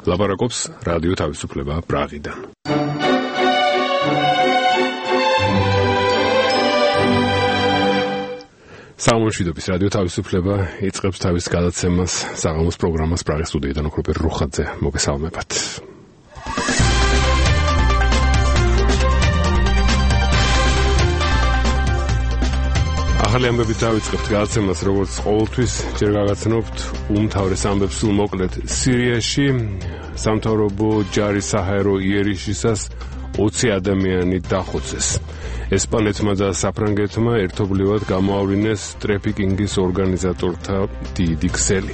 ლაპარაკობს რადიო თავისუფლება პრაღიდან. სამშვიდობის რადიო თავისუფლება იწყებს თავის გადაცემას საღამოს პროგრამას პრაღის სტუდიიდან ოქროპერ რუხაძე მოგესალმებათ. ახალი ამბებით დავიწყებთ გადაცემას, როგორც ყოველთვის ჯერ გაგაცნობთ უმთავრეს ამბებს სულ მოკლედ. სირიაში სამთავრობო ჯარის საჰაერო იერიშისას 20 ადამიანი დახოცეს. ესპანეთმა და საფრანგეთმა ერთობლივად გამოავლინეს ტრაფიკინგის ორგანიზატორთა დიდი ქსელი.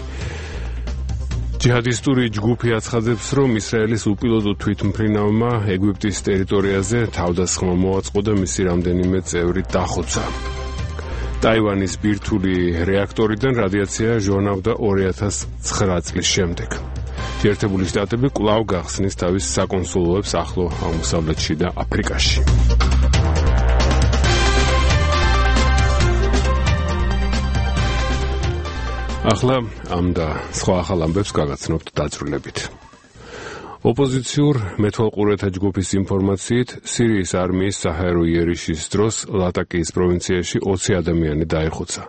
ჯიჰადისტური ჯგუფი აცხადებს, რომ ისრაელის უპილოტო თვითმფრინავმა ეგვიპტის ტერიტორიაზე თავდასხმა მოაწყო და მისი რამდენიმე წევრი დახოცა. ტაივანის ბირთვული რეაქტორიდან რადიაცია ჟონავდა 2009 წლის შემდეგ. შეერთებული შტატები კვლავ გახსნის თავის საკონსულოებს ახლო აღმოსავლეთში და აფრიკაში. ახლა ამ და სხვა ახალ ამბებს გაგაცნობთ დაძრულებით. ოპოზიციურ მეთვალყურეთა ჯგუფის ინფორმაციით, სირიის არმიის საჰაერო იერიშის დროს ლატაკიის პროვინციაში 20 ადამიანი დაიხოცა.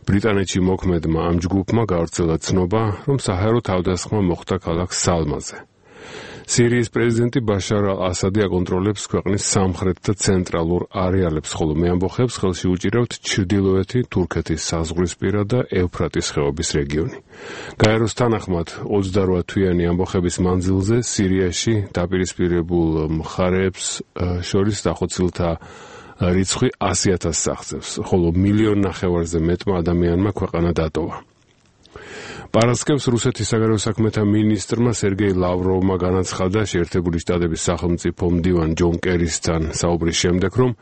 ბრიტანეთში მოქმედმა ამ ჯგუფმა გავრცელა ცნობა, რომ საჰაერო თავდასხმა მოხდა ქალაქ სალმაზე. სირიის პრეზიდენტი ბაშარ ალ-ასადი აკონტროლებს ქვეყნის სამხრეთ და ცენტრალურ არეალებს, ხოლო მე ამბოხებს ხელში უჭირავთ ჩრდილოეთი თურქეთის საზღვრისპირა და ევფრატის ხეობის რეგიონი. გაეროს თანახმად 28 თვიანი ამბოხების მანძილზე სირიაში დაპირისპირებულ მხარეებს შორის დახოცილთა რიცხვი 100,000 აღწევს, ხოლო 1,5 მილიონზე მეტმა ადამიანმა ქვეყანა დატოვა. პარასკევს რუსეთის საგარეო საქმეთა მინისტრმა სერგეი ლავროვმა განაცხადა შეერთებული შტატების სახელმწიფო მდივან ჯონ კერისთან საუბრის შემდეგ, რომ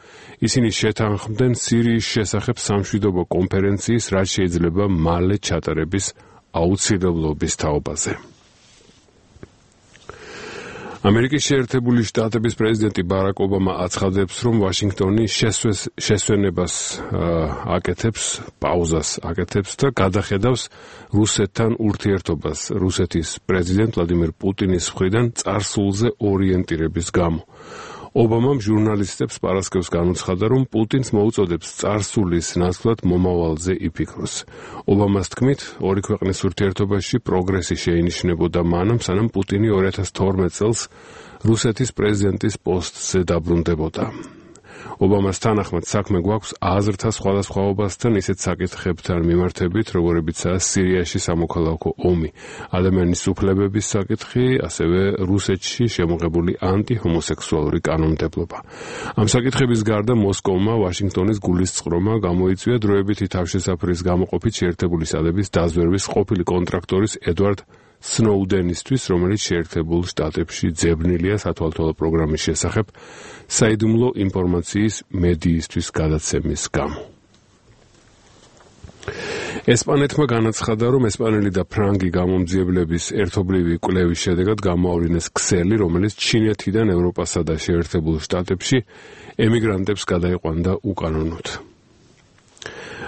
ისინი შეთანხმდნენ სირიის შესახებ სამშვიდობო კონფერენციის, რაც შეიძლება მალე ჩატარების აუცილებლობის თაობაზე. ამერიკის შეერთებული შტატების პრეზიდენტი ბარაკ ობამა აცხადებს, რომ ვაშინგტონი შესვენებას აკეთებს, პაუზას აკეთებს და გადახედავს რუსეთთან ურთიერთობას რუსეთის პრეზიდენტ ვლადიმერ პუტინის მხრიდან წარსულზე ორიენტირების გამო. ობამამ ჟურნალისტებს პარასკევს განუცხადა, რომ პუტინს მოუწოდებს წარსულის ნაცვლად მომავალზე იფიქროს. ობამას თქმით, ორი ქვეყნის ურთიერთობაში პროგრესი შეინიშნებოდა მანამ, სანამ პუტინი 2012 წელს რუსეთის პრეზიდენტის პოსტზე დაბრუნდებოდა. ობამას თანახმად საქმე გვაქვს აზრთა სხვადასხვაობასთან ისეთ საკითხებთან მიმართებით, როგორებიცაა სირიაში სამოქალაქო ომი, ადამიანის უფლებების საკითხი, ასევე რუსეთში შემოღებული ანტიჰომოსექსუალური კანონმდებლობა. ამ საკითხების გარდა მოსკოვმა ვაშინგტონის გულისწყრომა გამოიწვია დროებითი თავშესაფრის გამოყოფით შეერთებული შტატების დაზვერვის ყოფილი კონტრაქტორის ედვარდ სნოუდენისთვის, რომელიც შეერთებულ შტატებში ძებნილია სათვალთვალო პროგრამის შესახებ საიდუმლო ინფორმაციის მედიისთვის გადაცემის გამო. ესპანეთმა განაცხადა, რომ ესპანელი და ფრანგი გამომძიებლების ერთობლივი კვლევის შედეგად გამოავლინეს ქსელი, რომელიც ჩინეთიდან ევროპასა და შეერთებულ შტატებში ემიგრანტებს გადაიყვანდა უკანონოდ.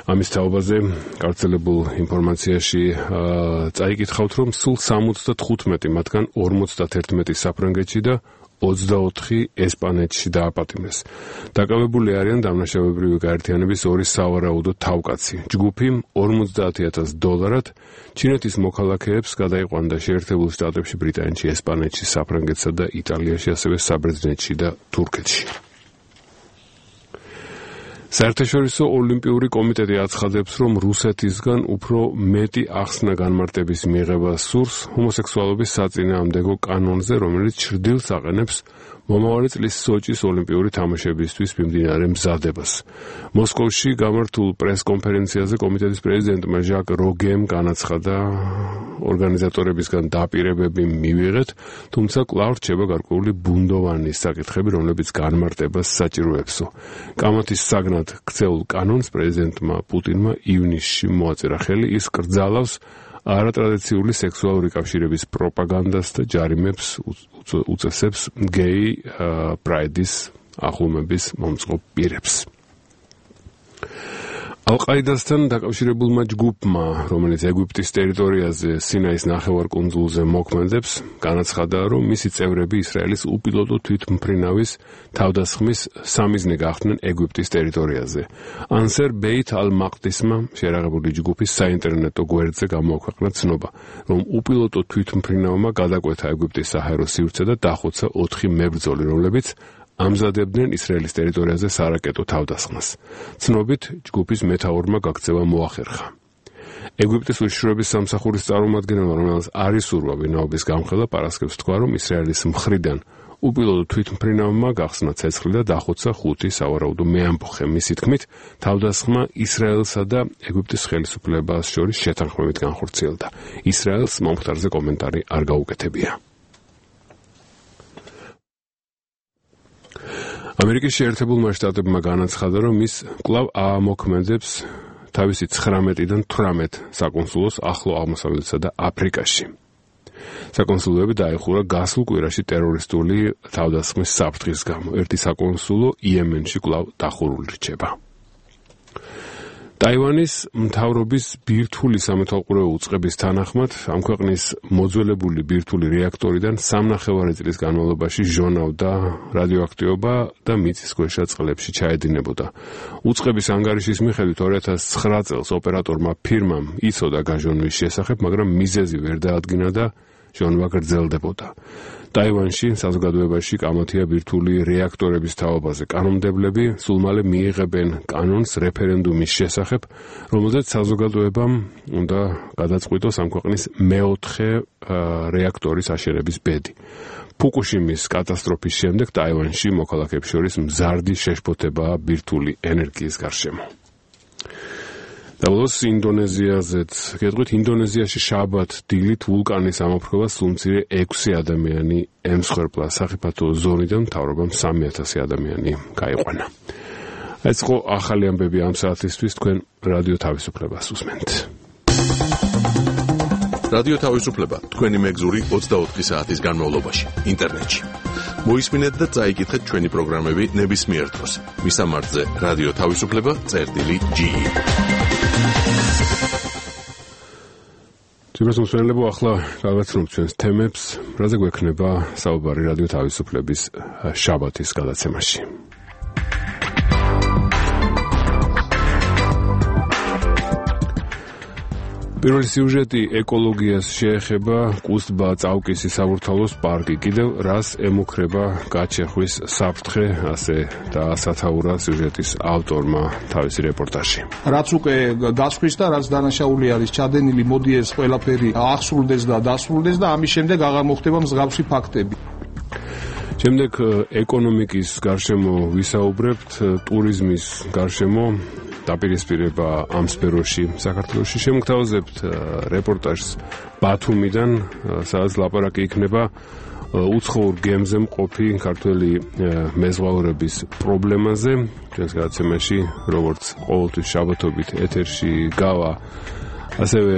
ამის თაობაზე გავრცელებულ ინფორმაციაში წაიკითხავთ, რომ სულ 75 მათგან 51 საფრანგეთში და 24 ესპანეთში დააპატიმრეს. დაკავებული არიან დამნაშავებრივი გაერთიანების ორი სავარაუდო თავკაცი. ჯგუფი $50,000 ჩინეთის მოქალაქეებს გადაიყვანდა შეერთებულ შტატებში, ბრიტანეთში, ესპანეთში, საფრანგეთსა და იტალიაში, ასევე საბერძნეთში და თურქეთში. საერთაშორისო ოლიმპიური კომიტეტი აცხადებს, რომ რუსეთისგან უფრო მეტი ახსნა განმარტების მიღება სურს ჰომოსექსუალობის საწინააღმდეგო კანონზე, რომელიც ჩრდილს აყენებს მომავალი წლის სოჭის ოლიმპიური თამაშებისთვის მიმდინარე მზადებას. მოსკოვში გამართულ პრეს-კონფერენციაზე კომიტეტის პრეზიდენტმა ჟაკ როგემ განაცხადა, ორგანიზატორებისგან დაპირებები მივიღეთ, თუმცა კვლავ რჩება გარკვეული ბუნდოვანი საკითხები, რომლებიც განმარტებას საჭიროებსო. კამათის საგნად ქცეულ კანონს პრეზიდენტმა პუტინმა ივნისში მოაწერა ხელი, ის კრძალავს არატრადიციული სექსუალური კავშირების პროპაგანდას და ჯარიმებს უწესებს გეი პრაიდის აღლუმების მომწყობ პირებს. ალ-ყაიდასთან დაკავშირებულმა ჯგუფმა, რომელიც ეგვიპტის ტერიტორიაზე სინაის ნახევარკუნძულზე მოქმედებს, განაცხადა, რომ მისი წევრები ისრაელის უპილოტო თვითმფრინავის თავდასხმის სამიზნე გახდნენ ეგვიპტის ტერიტორიაზე. ანსერ ბეით ალ-მაყდისმა შეერაღებული ჯგუფის საინტერნეტო გვერდზე გამოაქვეყნა ცნობა, რომ უპილოტო თვითმფრინავმა გადაკვეთა ეგვიპტის საჰაერო სივრცე და დახოცა 4 მებრძოლი, რომლებიც ამზადებდნენ ისრაელის ტერიტორიაზე სარაკეტო თავდასხმას. ცნობით, ჯგუფის მეთაურმა გაქცევა მოახერხა. ეგვიპტის უშიშროების სამსახურის წარმომადგენელმა, რომელსაც არ ისურვა ვინაობის გამხელა, პარასკევს თქვა, რომ ისრაელის მხრიდან უპილოტო თვითმფრინავმა გახსნა ცეცხლი და დახოცა 5 სავარაუდო მეამბოხე. მისი თქმით, თავდასხმა ისრაელსა და ეგვიპტის ხელისუფლებას შორის შეთანხმებით განხორციელდა. ისრაელს მომხდარზე კომენტარი არ გაუკეთებია. ამერიკის შეერთებულმა შტატებმა განაცხადა, რომ ის კვლავ აამოქმედებს თავისი 19-დან 18 საკონსულოს ახლო აღმოსავლეთსა და აფრიკაში. საკონსულოები დაიხურა გასულ კვირაში ტერორისტული თავდასხმის საფრთხის გამო. ერთი საკონსულო იემენში კვლავ დახურული რჩება. ტაივანის მთავრობის ბირთვული სამეთვალყურეო უწყების თანახმად ამ ქვეყნის მოძველებული ბირთვული რეაქტორიდან 3.5 წლის განმავლობაში ჟონავდა რადიოაქტივობა და მიწისქვეშა წყლებში ჩაედინებოდა. უწყების ანგარიშის მიხედვით 2009 წელს ოპერატორმა ფირმამ იცოდა გაჟონვის შესახებ, მაგრამ მიზეზი ვერ დაადგინა და ჟონვა გრძელდებოდა. ტაივანში საზოგადოებაში კამათია ბირთვული რეაქტორების თაობაზე. კანონმდებლები სულ მალე მიიღებენ კანონს რეფერენდუმის შესახებ, რომელზეც საზოგადოებამ უნდა გადაწყვიტოს ამ ქვეყნის მეოთხე რეაქტორის აშენების ბედი. ფუკუშიმის კატასტროფის შემდეგ ტაივანში მოქალაქეებს შორის მზარდი შეშფოთებაა ბირთვული ენერგიის გარშემო. Davos ინდონეზიაზეც გეტყვით, ინდონეზიაში შაბათ დილით ვულკანის ამოფრქვევას სულ მცირე 6 ადამიანი ემსხვერპლა. სახიფათო ზონიდან მთავრობამ 3,000 ადამიანი გაიყვანა. ეს იყო ახალი ამბები ამ საათისთვის. თქვენ რადიო თავისუფლებას უსმენთ. რადიო თავისუფლება თქვენი მეგზური 24 საათის განმავლობაში ინტერნეტში. მოისმინეთ და წაიკითხეთ ჩვენი პროგრამები ნებისმიერ დროს. მისამართზე რადიო თავისუფლება.ge. Ძირას მსმენელებო, ახლა გავაცნობთ ჩვენს თემებს, რაზე გვექნება საუბარი რადიო თავისუფლების შაბათის გადაცემაში. პირველი სიუჟეტი ეკოლოგიას შეეხება. კუსტბა წავკისი საბურთალოს პარკი. კიდევ რას ემუქრება გაჩეხვის საფრთხე, ასე დაასათაურა სიუჟეტის ავტორმა თავისი რეპორტაჟში. რაც უკვე გასხვის და რაც დანაშაული არის ჩადენილი, მოდი ეს ყველაფერი აღსრულდეს და დასრულდეს და ამის შემდეგ აღარ მოხდება მსგავსი ფაქტები. შემდეგ ეკონომიკის გარშემო ვისაუბრებთ, ტურიზმის გარშემო დაპირისპირება ამ სფეროში საქართველოში. შემოგთავაზებთ რეპორტაჟს ბათუმიდან, სადაც ლაპარაკი იქნება უცხოურ გემზე მყოფი ქართველი მეზღვაურების პრობლემაზე. ჩვენს გადაცემაში, როგორც ყოველთვის შაბათობით ეთერში გავა ასევე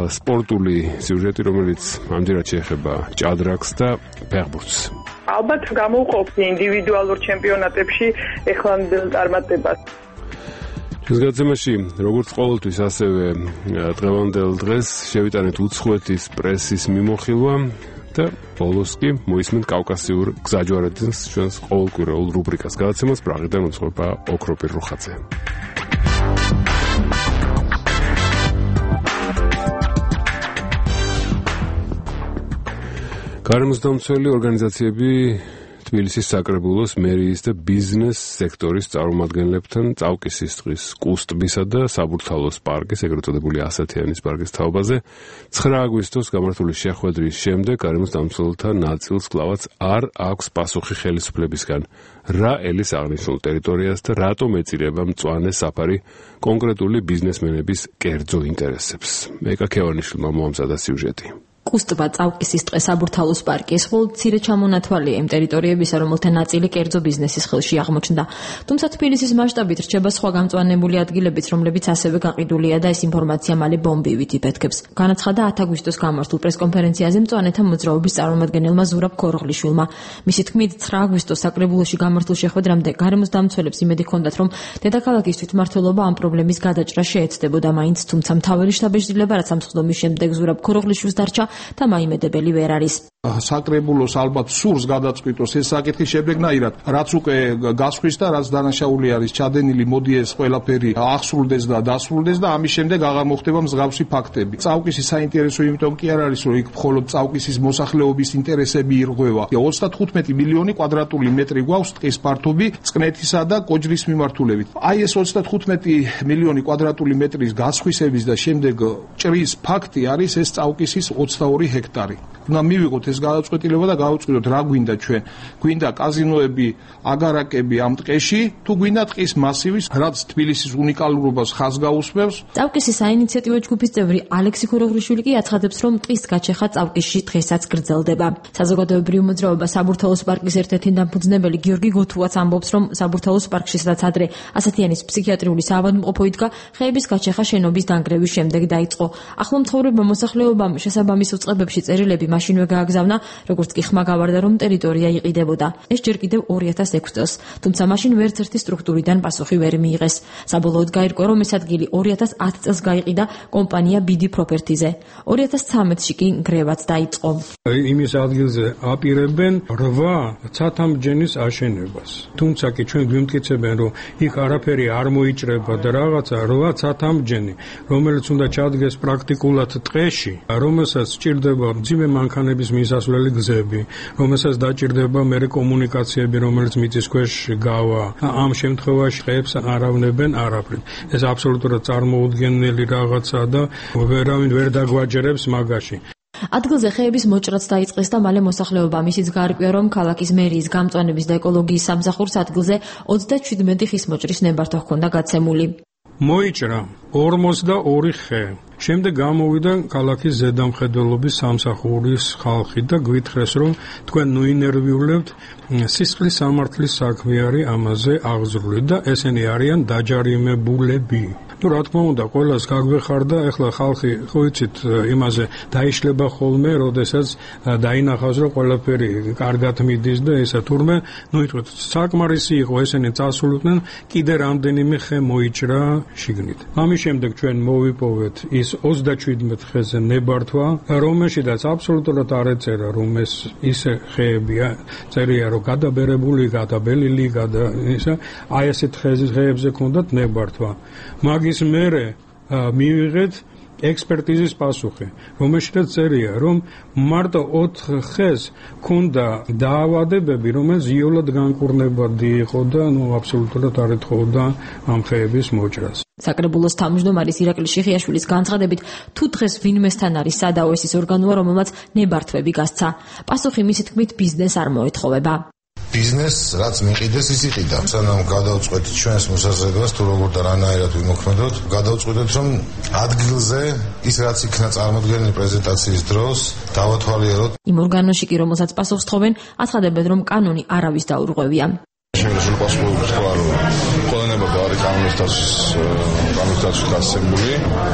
სპორტული სიუჟეტი, რომელიც ამჯერად შეეხება ჭადრაკს და ფეხბურთს. ალბათ გამოვყოფს ინდივიდუალურ ჩემპიონატებში ეხლანდელ წარმატებას. ეს გადაცემაში, როგორც ყოველთვის, ასევე დღევანდელ დღეს შევიტანეთ უცხოეთის პრესის მიმოხილვა და ბოლოს კი მოისმენთ კავკასიურ გზაჯვარედინს ჩვენს ყოველკვირეულ რუბრიკას. გადაცემას პრაღიდან უძღვება ოქროპირ რუხაძე. გარემოსდამცველი ორგანიზაციები თბილისის საკრებულოს, მერიის და ბიზნეს სექტორის წარმომადგენლებთან წავკისის ტყის, კუსტბისა და საბურთალოს პარკის, ეგრეთ წოდებული ასათიანის პარკის თაობაზე 9 აგვისტოს გამართული შეხვედრის შემდეგ გარემოსდამცველთა ნაწილს კვლავაც არ აქვს პასუხი ხელისუფლებისგან, რა ელის აღნიშნულ ტერიტორიას და რატომ ეწირება მწვანე საფარი კონკრეტული ბიზნესმენების კერძო ინტერესებს. მეკა ქევანიშვილმა მოამზადა სიუჟეტი. კუსტბა წავკისის ტყე საბურთალოს პარკი ეს მხოლოდ მცირე ჩამონათვალია იმ ტერიტორიებისა, რომელთა ნაწილი კერძო ბიზნესის ხელში აღმოჩნდა. თუმცა თბილისის მასშტაბით რჩება სხვა გამწვანებული ადგილებიც, რომლებიც ასევე გაყიდულია და ეს ინფორმაცია მალე ბომბივით იფეთქებს. განაცხადა 10 აგვისტოს გამართულ პრესკონფერენციაზე მწვანეთა მოძრაობის წარმომადგენელმა ზურაბ ქოროღლიშვილმა. მისი თქმით, 9 აგვისტოს საკრებულოში გამართულ შეხვედრამდე გარემოს დამცველებს იმედი ჰქონდათ, რომ დედაქალაქის თვითმმართველობა ამ პრობლემის გადაჭრას შეეცდებოდა მაინც, თუმცა მთავარი შტაბ-ბიჭდილება რაც ამ სხდომის შემდეგ ზურაბ ქოროღლიშვილს დარჩა და მაიმედებელი ვერ არის. საკრებულოს ალბათ სურს გადაწყვიტოს ეს საკითხი შედეგნაირად, რაც უკვე გასხვის და რაც დანაშაული არის ჩადენილი, მოდი ეს ყველაფერი აღსრულდეს და დასრულდეს და ამის შემდეგ აღარ მოხდება მსგავსი ფაქტები. წავკისის საინტერესო იმიტომ კი არ არის, რომ იქ მხოლოდ წავკისის მოსახლეობის ინტერესები ირღვევა. 35 მილიონი კვადრატული მეტრი გვაქვს ტყის ფართობი წყნეთისა და კოჯრის მიმართულებით. აი ეს 35 მილიონი კვადრატული მეტრის გასხვისების და შემდეგ ჭრის ფაქტი არის ეს წავკისის 22 ჰექტარი. უნდა მივიღოთ ეს გადაწყვეტილება და გავუწყდოთ რა გვინდა ჩვენ. გვინდა კაზინოები, აგარაკები ამ ტყეში, თუ გვინდა ტყის მასივის, რაც თბილისის უნიკალურობას ხაზს გაუსმევს. წავკისის საინიციატივო ჯგუფის წევრი ალექსი ქოროღლიშვილი კი აცხადებს, რომ ტყის გაჩეხა წავკისში დღესაც გრძელდება. საზოგადოებრივ მოძრაობა საბურთალოს პარკის ერთ-ერთი დამფუძნებელი გიორგი გოთუაც ამბობს, რომ საბურთალოს პარკში სადაც ადრე ასათიანის ფსიქიატრიული საავადმყოფო იდგა, ხეების გაჩეხა შენობის დანგრევის შემდეგ დაიწყო. ახლა მცხოვრებმა მოსახლეობამ შესაბამის უწყებებში წერილები მაშინვე გააგზავნა, როგორც კი ხმა გავარდა, რომ ტერიტორია იყიდებოდა. ეს ჯერ კიდევ 2006 წელს, თუმცა მაშინ ვერცერთი სტრუქტურიდან პასუხი ვერ მიიღეს. საბოლოოდ გაირკვა, რომ ეს ადგილი 2010 წელს გაიყიდა კომპანია BD Properties-ზე. 2013-ში კი ნგრევაც დაიწყო. იმის ადგილზე აპირებენ 8 ცათამბჯენის აშენებას. თუმცა კი ჩვენ გვიმტკიცებენ, რომ იქ არაფერი არ მოიჭრება და რაღაცა 8 ცათამბჯენი, რომელიც უნდა ჩადგეს პრაქტიკულად ტყეში, რომელსაც სჭირდება მძიმე მანქანების მისასვლელი გზები, რომელსაც დაჭირდება მერე კომუნიკაციები, რომელიც მიწის ქვეშ გავა. ამ შემთხვევაში ხეებს არავნებენ არაფრით. ეს აბსოლუტურად წარმოუდგენელი რაღაცა და ვერავინ ვერ დაგვაჯერებს მაგაში. ადგილზე ხეების მოჭრაც დაიწყეს და მალე მოსახლეობამ ისიც გაარკვია, რომ ქალაქის მერიის გამწვანების და ეკოლოგიის სამსახურს ადგილზე 37 ხის მოჭრის ნებართვა ჰქონდა გაცემული. მოიჭრა 42 ხე. შემდეგ გამოვიდა ქალაქის ზედამხედველობის სამსახურის ხალხი და გვითხრეს, რომ თქვენ ნუინერვიულებთ სისხლის სამართლის საქმე ამაზე აღზრული და ესენი არიან დაჯარიმებულები. რა თქმა უნდა, ყველას გაგვეხარდა, ეხლა ხალხი, ხო იცით, იმაზე დაიშლება ხოლმე, როდესაც დაინახავს, რომ ყველაფერი კარგად მიდის და ესა თურმე, იტყვით, საკმარისი იყო, ესენი წასულიყვნენ, კიდე რამდენიმე ხე მოიჭრა შიგნით. ამის შემდეგ ჩვენ მოვიპოვეთ ის 37 ხეზე ნებართვა, რომელშიც აბსოლუტურად არ ეწერა, რომ ეს ისე ხეებია, წერია, რომ გადაბერებული, გადაბელილი, ისა, აი ესეთ ხეებზე ქონდათ ნებართვა. მაგის მერე მივიღეთ ექსპერტიზის პასუხი, რომელშიც წერია, რომ მარტო 4 ხეს ქონდა დაავადებები, რომელიც იოლად განკურნებადი იყო და აბსოლუტურად არ ეთხოვდა ამ ხეების მოჭრას. საკრებულოს თავმჯდომარის ირაკლი შიხიაშვილის განცხადებით, თუ დღეს ვინმესთან არის სადაო ეს ორგანოა, რომელმაც ნებართვები გასცა. პასუხი მისი თქმით ბიზნეს არ მოეთხოვება. ბიზნესს რაც მიყიდეს ის იყიდა. სანამ გადავწყვეტით ჩვენს მოსაზრებას თუ როგორ და რანაირად ვიმოქმედოთ, გადავწყვეტეთ რომ ადგილზე ის რაც იქნა წარმოდგენილი პრეზენტაციის დროს დავათვალიეროთ. იმ ორგანოში კი რომელსაც პასუხს თხოვენ, აცხადებენ რომ კანონი არავის დაურღვევია. შემიძლია პასუხს თქვა რომ ყველანება არის კანონისთან გასცემული.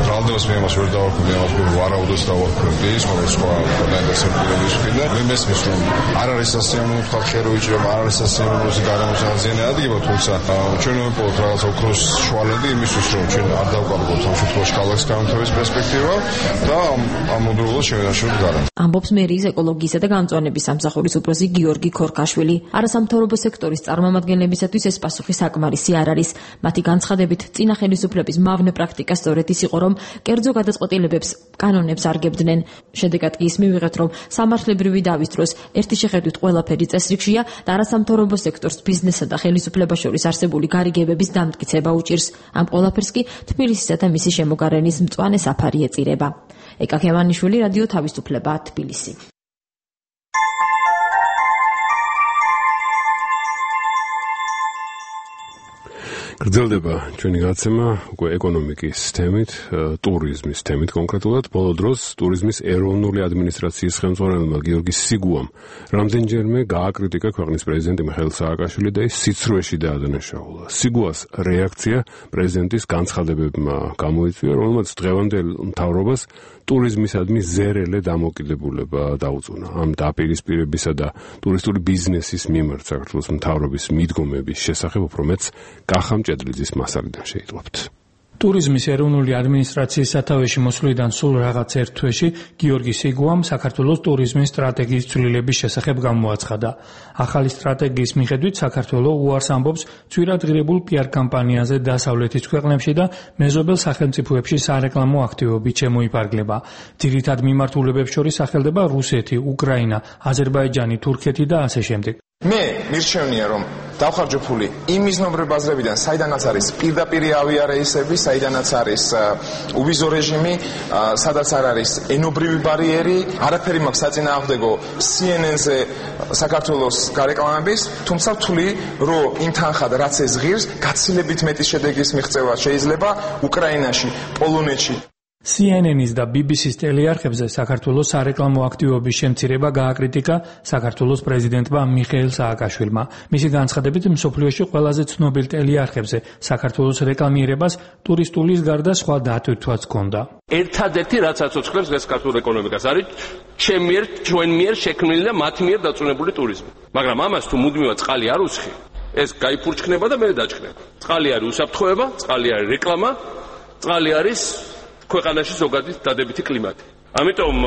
რალდებას მე ამას ვერ დავარქვი, ვარაუდოს დავარქვი, მაგრამ სხვა დაინტერესებულების მხრიდან მე მესმის რომ არ არის სასიამოვნო თქვა ხეროიჭრა, არ არის სასიამოვნო გარემოს აღზიანება ადგება, თუმცა ჩვენ ვიპოვოთ რაღაც ოქროს შუალედი იმისთვის რომ ჩვენ არ დავკარგოთ ამ შემთხვევაში ქალაქის განვითარების პერსპექტივა და ამ მოდულობას შევენაშოთ გარემოს. ამბობს მერიის ეკოლოგიისა და გამწვანების სამსახურის უფროსი გიორგი ქორკაშვილი. არასამთავრობო სექტორის წარმომადგენლებისათვის ეს პასუხი საკმარისი არ არის. მათი განცხადებით, წინა ხელისუფლების მავნე პრაქტიკა სწორედ ის იყო, რომ კერძო გადაწყვეტილებებს კანონებს არგებდნენ. შედეგად კი ის მივიღეთ, რომ სამართლებრივი დავის დროს ერთი შეხედვით ყველაფერი წესრიგშია და არასამთავრობო სექტორს ბიზნესსა და ხელისუფლებას შორის არსებული გარიგებების დამტკიცება უჭირს. ამ ყველაფერს კი თბილისისა და მისი შემოგარენის მწვანე საფარი ეწირება. ეკა ქემანიშვილი, რადიო თავისუფლება, თბილისი. გრძელდება ჩვენი გაცემა უკვე ეკონომიკის თემით, ტურიზმის თემით კონკრეტულად. ბოლო დროს ტურიზმის ეროვნული ადმინისტრაციის ხელმძღვანელმა გიორგი სიგუამ რამდენჯერმე გააკრიტიკა ქვეყნის პრეზიდენტი მიხეილ სააკაშვილი და ის სიცრუეში დაადანაშაულა. სიგუას რეაქცია პრეზიდენტის განცხადებებმა გამოიწვია, რომელმაც დღევანდელ მთავრობას ტურიზმისადმი ზერელე დამოკიდებულება დაუწუნა. ამ დაპირისპირებისა და ტურისტული ბიზნესის მიმართ საქართველოს მთავრობის მიდგომების შესახებ უფრო მეც კახა მჭედლიძის მასალიდან შეიტყობთ. ტურიზმის ეროვნული ადმინისტრაციის სათავეში მოსვლიდან სულ რაღაც ერთ თვეში გიორგი სიგუამ საქართველოს ტურიზმის სტრატეგიის ცვლილების შესახებ გამოაცხადა. ახალი სტრატეგიის მიხედვით საქართველო უარს ამბობს ცვირადღირებულ პიარ კამპანიაზე დასავლეთის ქვეყნებში და მეზობელ სახელმწიფოებში სარეკლამო აქტივობით შემოიფარგლება. ძირითად მიმართულებებს შორის სახელდება რუსეთი, უკრაინა, აზერბაიჯანი, თურქეთი და ასე შემდეგ. მე მირჩევნია რომ დავხარჯოფული იმ მიზნობრივ ბაზრებიდან, საიდანაც არის პირდაპირი ავიარეისები, საიდანაც არის უვიზო რეჟიმი, სადაც არ არის ენობრივი ბარიერი, არაფერი მაქვს საწინააღმდეგო CNN-ზე საქართველოს გარეკლამების, თუმცა ვთვლი, რომ იმ თანხად რაც ეს ღირს, გაცილებით მეტი შედეგის მიღწევა შეიძლება უკრაინაში, პოლონეთში. CNN-ის და BBC-ის ტელეარხებზე საქართველოს სარეკლამო აქტივობის შემცირება გააკრიტიკა საქართველოს პრეზიდენტმა მიხეილ სააკაშვილმა. მისი განცხადებით, მსოფლიოში ყველაზე ცნობილ ტელეარხებზე საქართველოს რეკლამირებას ტურისტულის გარდა სხვა დატვირთვაც ჰქონდა. ერთადერთი რაც აცოცხლებს ეს ქართულ ეკონომიკას არის ჩვენ მიერ შექმნილი და მათ მიერ დაწუნებული ტურიზმი. მაგრამ ამას თუ მუდმივად წყალი არ უსხი, ეს გაიფურჩქნება და მე დაჭქნება. წყალი არის უსაფრთხოება, წყალი არის რეკლამა, წყალი არის ქვეყანაში ზოგადი დადებითი კლიმატი. ამიტომ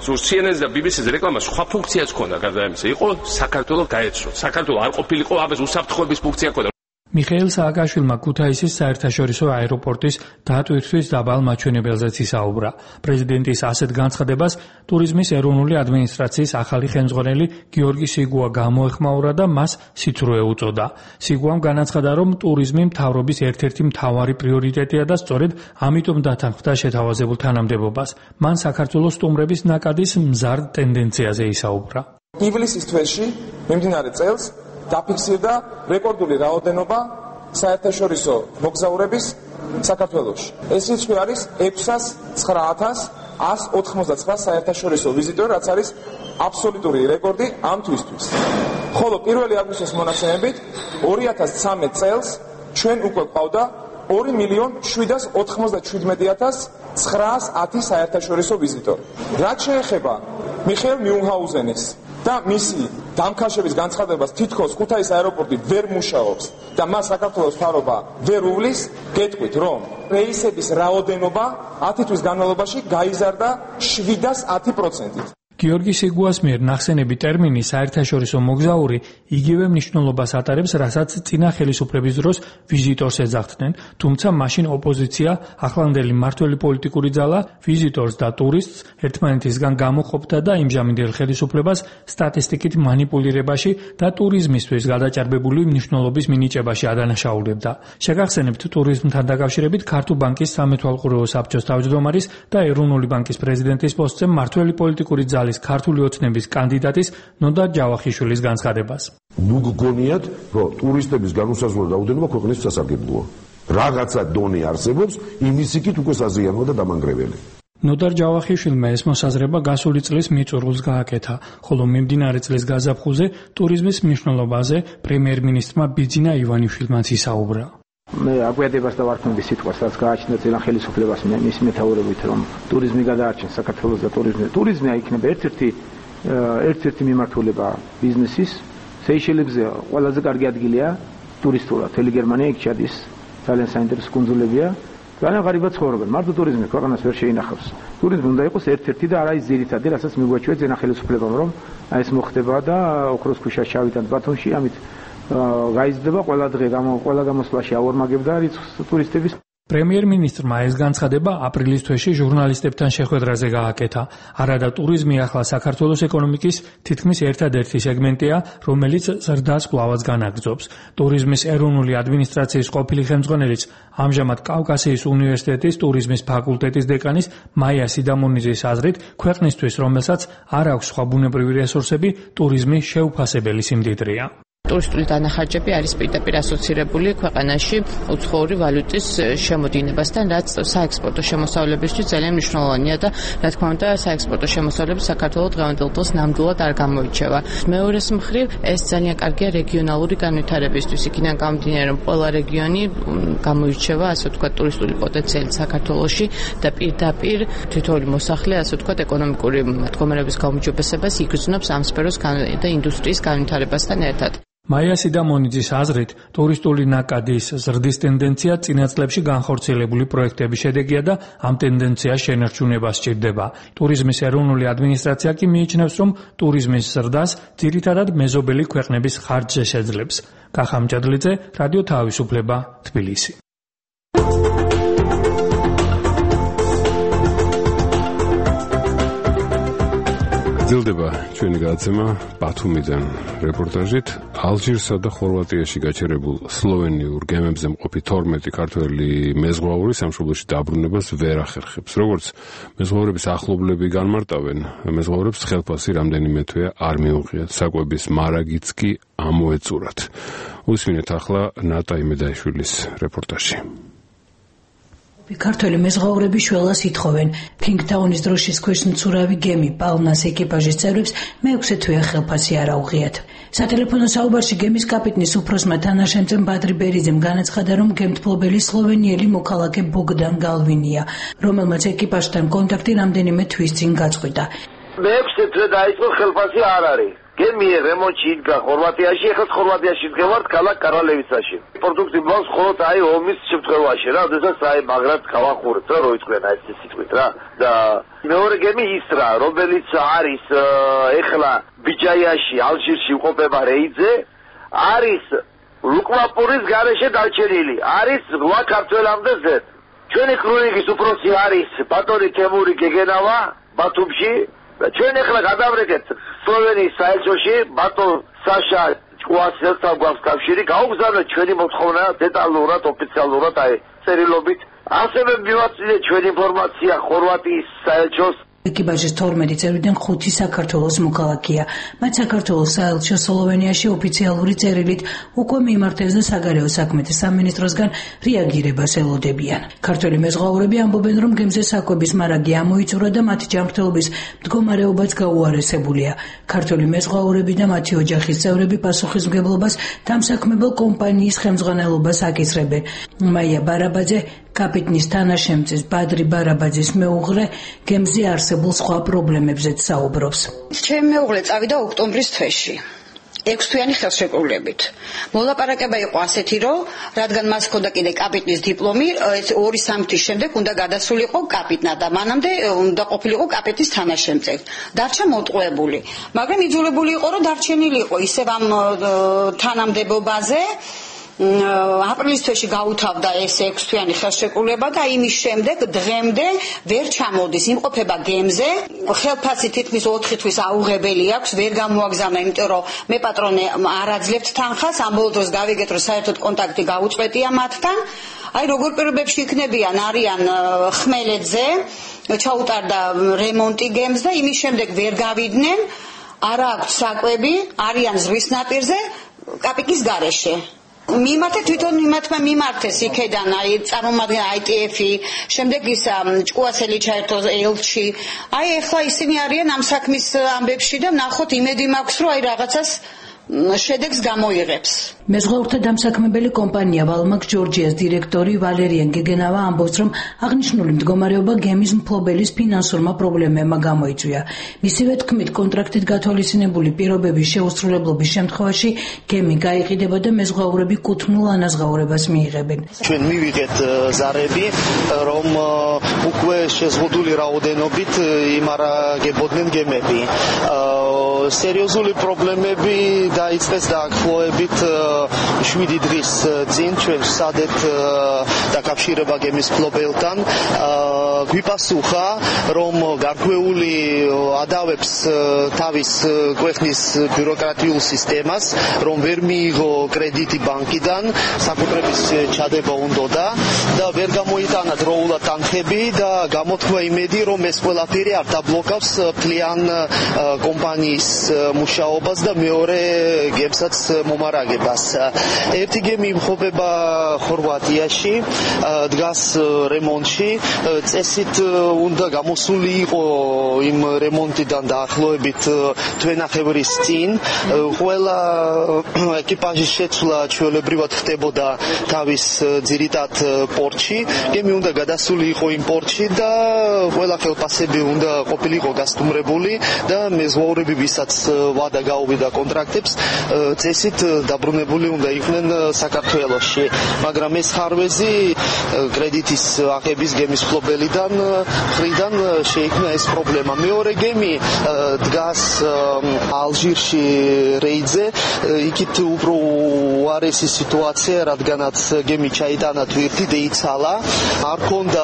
CNN-ს და BBC-ს რეკლამა სხვა ფუნქციაც ჰქონდა გარდა ამისა. იყო საქართველოს გაეცროთ. საქართველოს არ ყოფილიყო ამას უსაფრთხოების ფუნქცია ჰქონდა. მიხეილ სააკაშვილმა ქუთაისის საერთაშორისო აეროპორტის დატვირთვის დაბალ მაჩვენებელზეც ისაუბრა. პრეზიდენტის ასეთ განცხადებას ტურიზმის ეროვნული ადმინისტრაციის ახალი ხელმძღვანელი გიორგი სიგუა გამოეხმაურა და მას სიცრუე უწოდა. სიგუამ განაცხადა, რომ ტურიზმი მთავრობის ერთ-ერთი მთავარი პრიორიტეტია და სწორედ ამიტომ დათანხმდა შეთავაზებულ თანამდებობას. მან საქართველოს სტუმრების ნაკადის მზარდ ტენდენციაზე ისაუბრა. ივლისის თვეში მიმდინარე წელს დაფიქსირდა რეკორდული რაოდენობა საერთაშორისო მოგზაურების საქართველოში. ეს რიცხვი არის 609,199 საერთაშორისო ვიზიტორი, რაც არის აბსოლუტური რეკორდი ამ თვისთვის. ხოლო 1 აგვისტოს მონაცემებით 2013 წელს ჩვენ უკვე ყავდა 2,797,910 საერთაშორისო ვიზიტორი. რაც შეეხება მიხეილ მიუნჰაუზენის და მისი დამქაშების განცხადებას, თითქოს ქუთაისის აეროპორტი ვერ მუშაობს და მას საქართველოს მთავრობა ვერ უვლის, გეტყვით, რომ რეისების რაოდენობა 10 თვის განმავლობაში გაიზარდა 710%-ით. გიორგი სიგუას მიერ ნახსენები ტერმინი საერთაშორისო მოგზაური იგივე მნიშვნელობას ატარებს, რასაც წინა ხელისუფლების დროს ვიზიტორს ეძახდნენ, თუმცა მაშინ ოპოზიცია, ახლანდელი მმართველი პოლიტიკური ძალა, ვიზიტორს და ტურისტს ერთმანეთისგან გამოყოფდა და იმჟამინდელ ხელისუფლებას სტატისტიკით მანიპულირებაში და ტურიზმისთვის გადაჭარბებული მნიშვნელობის მინიჭებაში ადანაშაულებდა. შეგახსენებთ, ტურიზმთან დაკავშირებით ქართულ ბანკის სამეთვალყურეო საბჭოს თავმჯდომარის და ეროვნული ბანკის პრეზიდენტის პოსტზე მმართველი პოლიტიკური ძალა ქართული ოცნების კანდიდატის ნოდარ ჯავახიშვილის განცხადებას. ნუ გგონიათ, რომ ტურისტების განუსაზღვრო რაოდენობა ქვეყნის სასარგებლოა. რაღაცა დონე არსებობს, იმის იქით უკვე საზიანოა და დამანგრეველი. ნოდარ ჯავახიშვილმა ეს მოსაზრება გასული წლის მიწურულს გააკეთა, ხოლო მიმდინარე წლის გაზაფხულზე ტურიზმის მნიშვნელობაზე პრემიერ-მინისტრმა ბიძინა ივანიშვილმაც ისაუბრა. მე აგვიადებას და ვარქმევი სიტყვას, რაც გააჩნდა წინა ხელისუფლებას მის მეთაურობით, რომ ტურიზმი გადაარჩენს საქართველოს და ტურიზმი აიქნება ერთ-ერთი მიმართულება ბიზნესის. სეიშელებზე ყველაზე კარგი ადგილია ტურისტულად. მთელი გერმანია იქ ჩადის, ძალიან საინტერესო კუნძულებია. ძალიან ღარიბად ცხოვრობენ. მარტო ტურიზმი ქვეყანას ვერ შეინახავს. ტურიზმი უნდა იყოს ერთ-ერთი და არა ის ძირითადი, რასაც მიგვაჩვია წინა ხელისუფლებამ, რომ ეს მოხდება და ოქროს ქვიშას ჩავიტანთ ბათუმში, ამით გაიზრდება ყველა დღე ყველა გამოსვლაში აორმაგებდა რიცხვს ტურისტების. პრემიერ-მინისტრმა ეს განცხადება აპრილის თვეში ჟურნალისტებთან შეხვედრაზე გააკეთა. არადა ტურიზმი ახლა საქართველოს ეკონომიკის თითქმის ერთადერთი სეგმენტია, რომელიც ზრდას კვლავაც განაგრძობს. ტურიზმის ეროვნული ადმინისტრაციის ყოფილი ხელმძღვანელიც ამჟამად კავკასიის უნივერსიტეტის ტურიზმის ფაკულტეტის დეკანის მაია სიდამონიძის აზრით, ქვეყნისთვის, რომელსაც არ აქვს სხვა ბუნებრივი რესურსები, ტურიზმი შეუფასებელი სიმდიდრეა. ტურისტული დანახარჯები არის პირდაპირ ასოცირებული ქვეყანაში უცხოური ვალუტის შემოდინებასთან, რაც საექსპორტო შემოსავლებისთვის ძალიან მნიშვნელოვანია და რა თქმა უნდა საექსპორტო შემოსავლები საქართველოს დღევანდელ დღეს ნამდვილად არ გამოირჩევა. მეორეს მხრივ ეს ძალიან კარგია რეგიონალური განვითარებისთვის, იქიდან გამომდინარე რომ ყველა რეგიონი გამოირჩევა ასე ვთქვათ ტურისტული პოტენციალით საქართველოში და პირდაპირ თითოეული მოსახლე ასე ვთქვათ ეკონომიკური მდგომარეობის გაუმჯობესებას იგრძნობს ამ სფეროს და ინდუსტრიის განვითარებასთან ერთად. მაია სიდამონიძის აზრით, ტურისტული ნაკადის ზრდის ტენდენცია წინა წლებში განხორციელებული პროექტების შედეგია და ამ ტენდენციას შენარჩუნება სჭირდება. ტურიზმის ეროვნული ადმინისტრაცია კი მიიჩნევს, რომ ტურიზმის ზრდას ძირითადად მეზობელი ქვეყნების ხარჯზე შეძლებს. კახა მჭადლიძე, რადიო თავისუფლება, თბილისი. ძლდება ჩვენი გადაცემა ბათუმიდან რეპორტაჟით. ალჟირსა და ხორვატიაში გაჩერებულ სლოვენიურ გემებზე მყოფი 12 ქართველი მეზღვაური სამშობლოში დაბრუნებას ვერ ახერხებს. როგორც მეზღვაურების ახლობლები განმარტავენ, მეზღვაურებს ხელფასი რამდენიმე თვე არ მიუღიათ. საკვების მარაგიც კი ამოეწურათ. უსმინეთ ახლა ნატა იმედაიშვილის რეპორტაჟი. ქართველი მეზღვაურები შველას ითხოვენ. ფინგტაუნის დროშის ქვეშ მცურავი გემი პალმას ეკიპაჟის წევრებს მეექვსე თვეა ხელფასი არ აუღიათ. სატელეფონო საუბარში გემის კაპიტნის უფროსმა თანაშემწემ ბადრი ბერიძემ განაცხადა, რომ გემთმფლობელი სლოვენიელი მოქალაქე ბოგდან გალვინია, რომელმაც ეკიპაჟთან კონტაქტი რამდენიმე თვის წინ გაწყვიტა. მეექვსე თვე დაიწყო, ხელფასი არ არის. გემი რემონტში იდგა ხორვატიაში, ეხლა ხორვატიაში ვდგევართ ქალაქ კარალევიცაში. პროდუქტი მოს ხოლოდ აი ომის შემთხვევაში რა, შესაძაც აი მაგრად გავახურეთ რა, რო იწვენ აი ეს სიტყვით რა. და მეორე გემი ის რა, რომელიც არის ეხლა ბიჯაიაში, ალჟირში უყოფება რეიძე, არის ლუკმაპურის გარეშე დარჩენილი, არის ლა ქართველამდე ზედ. ჩვენი ქრონიკის უფროსი არის ბატონი თემური გეგენავა ბათუმში. ჩვენ ახლა გადავრეკეთ სლოვენიის საელჩოში ბატონ საშა ჭკუასელთან გვაქვს კავშირი, გაუგზავნეთ ჩვენი მოთხოვნა დეტალურად, ოფიციალურად აი წერილობით. ასევე მივაწვდით ჩვენი ინფორმაცია ხორვატიის საელჩოს. ეკიპაჟის 12 წევრიდან 5 საქართველოს მოქალაქეა. მათ საქართველოს საელჩო სლოვენიაში ოფიციალური წერილით უკვე მიმართეს და საგარეო საქმეთა სამინისტროსგან რეაგირებას ელოდებიან. ქართველი მეზღვაურები ამბობენ, რომ გემზე საკვების მარაგი ამოიწურა და მათი ჯანმრთელობის მდგომარეობაც გაუარესებულია. ქართველი მეზღვაურები და მათი ოჯახის წევრები პასუხისმგებლობას დამსაქმებელ კომპანიის ხელმძღვანელობას აკისრებენ. მაია ბარაბაძე, კაპიტნის თანაშემწეს ბადრი ბარაბაძის მეუღლე, გემზე არსებულ სხვა პრობლემებზეც საუბრობს. ჩემი მეუღლე წავიდა ოქტომბრის თვეში. 6 თვიანი ხელშეკრულებით. მოლაპარაკება იყო ასეთი, რომ რადგან მას ჰქონდა კიდე კაპიტნის დიპლომი, 2-3 თვის შემდეგ უნდა გადასულიყო კაპიტნად და მანამდე უნდა ყოფილიყო კაპიტნის თანაშემწე. დარჩა მოტყუებული. მაგრამ იძულებული იყო, რომ დარჩენილიყო ისევ ამ თანამდებობაზე. აპრილის თვეში გაუთავდა ეს 6 თვიანი ხელშეკრულება და იმის შემდეგ დღემდე ვერ ჩამოდის, იმყოფება გემზე. ხელფასი თითქმის 4 თვის აუღებელი აქვს, ვერ გამოაგზავნა, იმიტომ რომ მე პატრონე არ აძლევთ თანხას, ამ ბოლო დროს გავიგეთ, რომ საერთოდ კონტაქტი გაუწყვეტია მათთან. აი როგორ პირობებში იქნებიან, არიან ხმელეთზე, ჩაუტარდა რემონტი გემს და იმის შემდეგ ვერ გავიდნენ, არა აქვს საკვები, არიან ზღვის ნაპირზე, კაპიტნის გარეშე. მიმართეთ თვითონ მიმართმა მიმართეს იქედან აი წარმომადგენელი ITF-ი, შემდეგ ის ჭკუასელი ჩაერთო ელჩი. აი ახლა ისინი არიან ამ საქმის ამბებში და ნახოთ იმედი მაქვს, რომ აი რაღაცას შედეგს გამოიღებს. მეზღვაურთა დამსაქმებელი კომპანია ვალმაკ ჯორჯიას დირექტორი ვალერიან გეგენავა ამბობს, რომ აღნიშნული მდგომარეობა გემის მფლობელის ფინანსურმა პრობლემებმა გამოიწვია. მისივე თქმით, კონტრაქტით გათვალისწინებული პირობების შეუსრულებლობის შემთხვევაში გემი გაიყიდება და მეზღვაურები კუთვნილ ანაზღაურებას მიიღებენ. ჩვენ მივიღეთ ზარები, რომ უკვე შეზღუდული რაოდენობით იმარაგებოდნენ გემები. სერიოზული პრობლემები დაიწყეს დაახლოებით 7 დღის წინ ჩვენ ვსადეთ დაკავშირება გემის მფლობელთან. გვიპასუხა, რომ გარკვეული ადავებს თავის ქვეყნის ბიუროკრატიულ სისტემას, რომ ვერ მიიღო კრედიტი ბანკიდან, საკუთრების ჩადება უნდოდა და და ვერ გამოიტანა დროულად თანხები და გამოთქვა იმედი, რომ ეს ყველაფერი არ დაბლოკავს მთლიან კომპანიის მუშაობას და მეორე გემსაც მომარაგებას. ერთი გემი იმყოფება ხორვატიაში, დგას რემონტში, წესით უნდა გამოსული იყო იმ რემონტიდან დაახლოებით თვენახევრის წინ. ყველა ეკიპაჟის შეცვლა ჩვეულებრივად ხდებოდა თავის ძირითად პორტში. გემი უნდა გადასული იყო იმ პორტში და ყველა ხელფასები უნდა ყოფილიყო გასტუმრებული და მეზღვაურები, ვისაც ვადა გაუვიდა კონტრაქტებს, წესით დაბრუნებული უნდა იყვნენ საქართველოში. მაგრამ ეს ხარვეზი კრედიტის აღების გემის მფლობელიდან მხრიდან შეიქმნა ეს პრობლემა. მეორე გემი დგას ალჟირში რეიდზე, იქით უფრო უარესი სიტუაცია, რადგანაც გემი ჩაიტანა თვირთი, დაიცალა. არ ქონდა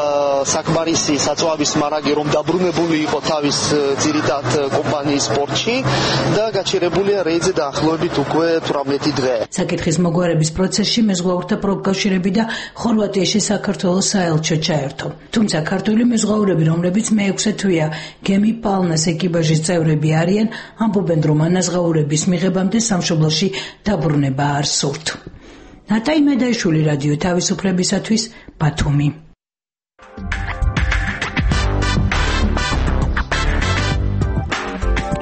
საკმარისი საწვავის მარაგი, რომ დაბრუნებული იყო თავის ძირითად კომპანიის პორტში და გაჩერებულია რეიდზე დაახლოებით უკვე 18 დღე. საკითხის მოგვარების პროცესში მეზღვაურთა პროფკავშირები და ხორვატიაში საქართველოს საელჩო ჩაერთო. თუმცა ქართული მეზღვაურები, რომლებიც მე-6 თვეა გემი პალნას ეკიპაჟის წევრები არიან, ამბობენ, რომ ანაზღაურების მიღებამდე სამშობლოში დაბრუნება არ სურთ. ნატაი მედაიშვილი, რადიო თავისუფლებისათვის, ბათუმი.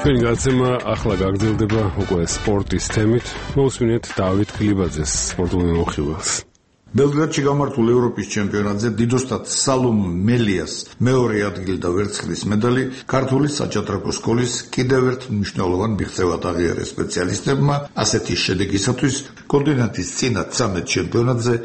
ჩვენი გაცემა ახლა გაგრძელდება უკვე სპორტის თემით. მოусმინეთ დავით გლიბაძეს სპორტულ მიმოხილველს. ბელგრადში გამართულ ევროპის ჩემპიონატზე დიდოსტატ სალომ მელიას მეორე ადგილი და ვერცხლის медаლი ქართული საჭადრაკო სკოლის კიდევ ერთ მნიშვნელოვან მიღწევად აღიარეს სპეციალისტებმა. ასეთი შედეგისათვის კონტინენტის წინა 13 ჩემპიონატზე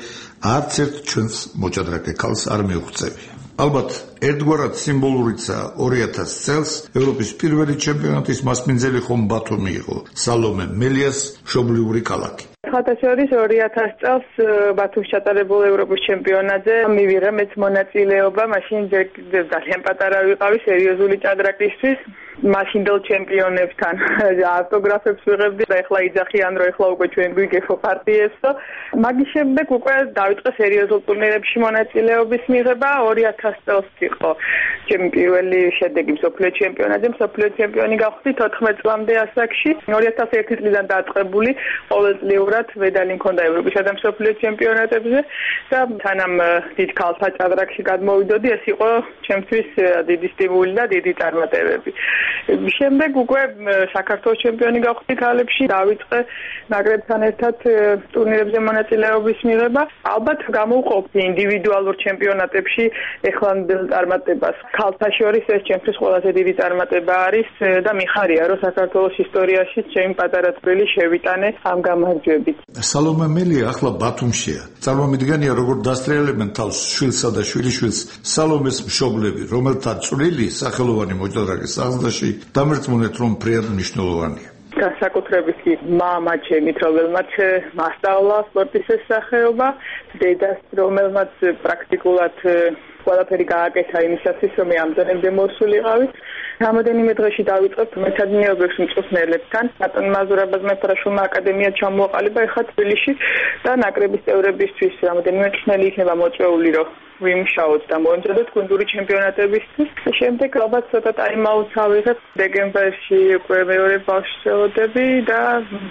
არც ერთ ჩვენს მოჭადრაკე ქალს არ მიუღწევია. ალბათ ერთგვარად სიმბოლურიცა 2000 წელს ევროპის პირველი ჩემპიონატის მასპინძელი ხომ ბათუმი იყო სალომე მელიას მშობლიური ქალაქი. ხათაშორის 2000 წელს ბათუმში ჩატარებულ ევროპის ჩემპიონატზე მივიღე მეც მონაწილეობა. მაშინ ძალიან პატარა ვიყავი სერიოზული ჭადრაკისთვის. მაშინდელ ჩემპიონებთან ავტოგრაფებს ვიღებდი და ეხლა იძახიან, რომ ეხლა უკვე ჩვენ გვიგებო პარტიებსო. მაგის შემდეგ უკვე დავიწყე სერიოზულ ტურნირებში მონაწილეობის მიღება. 2000 წელს იყო ჩემი პირველი შედეგი მსოფლიო ჩემპიონატზე. მსოფლიო ჩემპიონი გავხდი 14 წლამდე ასაკში. 2001 წლიდან დაწყებული ყოველწლიურად მედალი მქონდა ევროპისა და მსოფლიო ჩემპიონატებზე და თანამ დიდ ქალთა ჭადრაკში გადმოვიდოდი, ეს იყო ჩემთვის დიდი სტიმული და დიდი წარმატებები. შემდეგ უკვე საქართველოს ჩემპიონი გავხდი ქალებში, დავიწყე ნაკრებთან ერთად ტურნირებზე მონაწილეობის მიღება. ალბათ გამოვყოფდი ინდივიდუალურ ჩემპიონატებში ეხლანდელ წარმატებას. ქალთა შორის ეს ჩემთვის ყველაზე დიდი წარმატება არის და მიხარია, რომ საქართველოს ისტორიაში ჩემი პატარა წვლილი შევიტანე ამ გამარჯვებით. სალომე მელია ახლა ბათუმშია. წარმომიდგენია, როგორ დასტრიალებენ თავს შვილსა და შვილიშვილს სალომეს მშობლები, რომელთა წვლილი სახელოვანი მოჭადრაკის აღზრდაში დამერწმუნეთ, რომ ფრიად მნიშვნელოვანია. განსაკუთრებით კი მამა ჩემით, რომელმაც მასწავლა სპორტის სახეობა, დედას, რომელმაც პრაქტიკულად ყველაფერი გააკეთა იმისათვის, რომ მე ამ დონემდე მოსულიყავი. რამოდენიმე დღეში დავიწყებ მეცადინეობებში მწვრთნელებთან. ბატონ მაზურაბას მეფრაშულმა აკადემია ჩამოაყალიბა ეხლა თბილისში და ნაკრების წევრებისთვის რამოდენიმე მწვრთნელი იქნება მოწვეული, რომ ვიმშაოთ და მოემზადოთ გუნდური ჩემპიონატებისთვის. შემდეგ ალბათ ცოტა ტაიმაუტს ავიღებ. დეკემბერში უკვე მეორე ბავშვს ველოდები და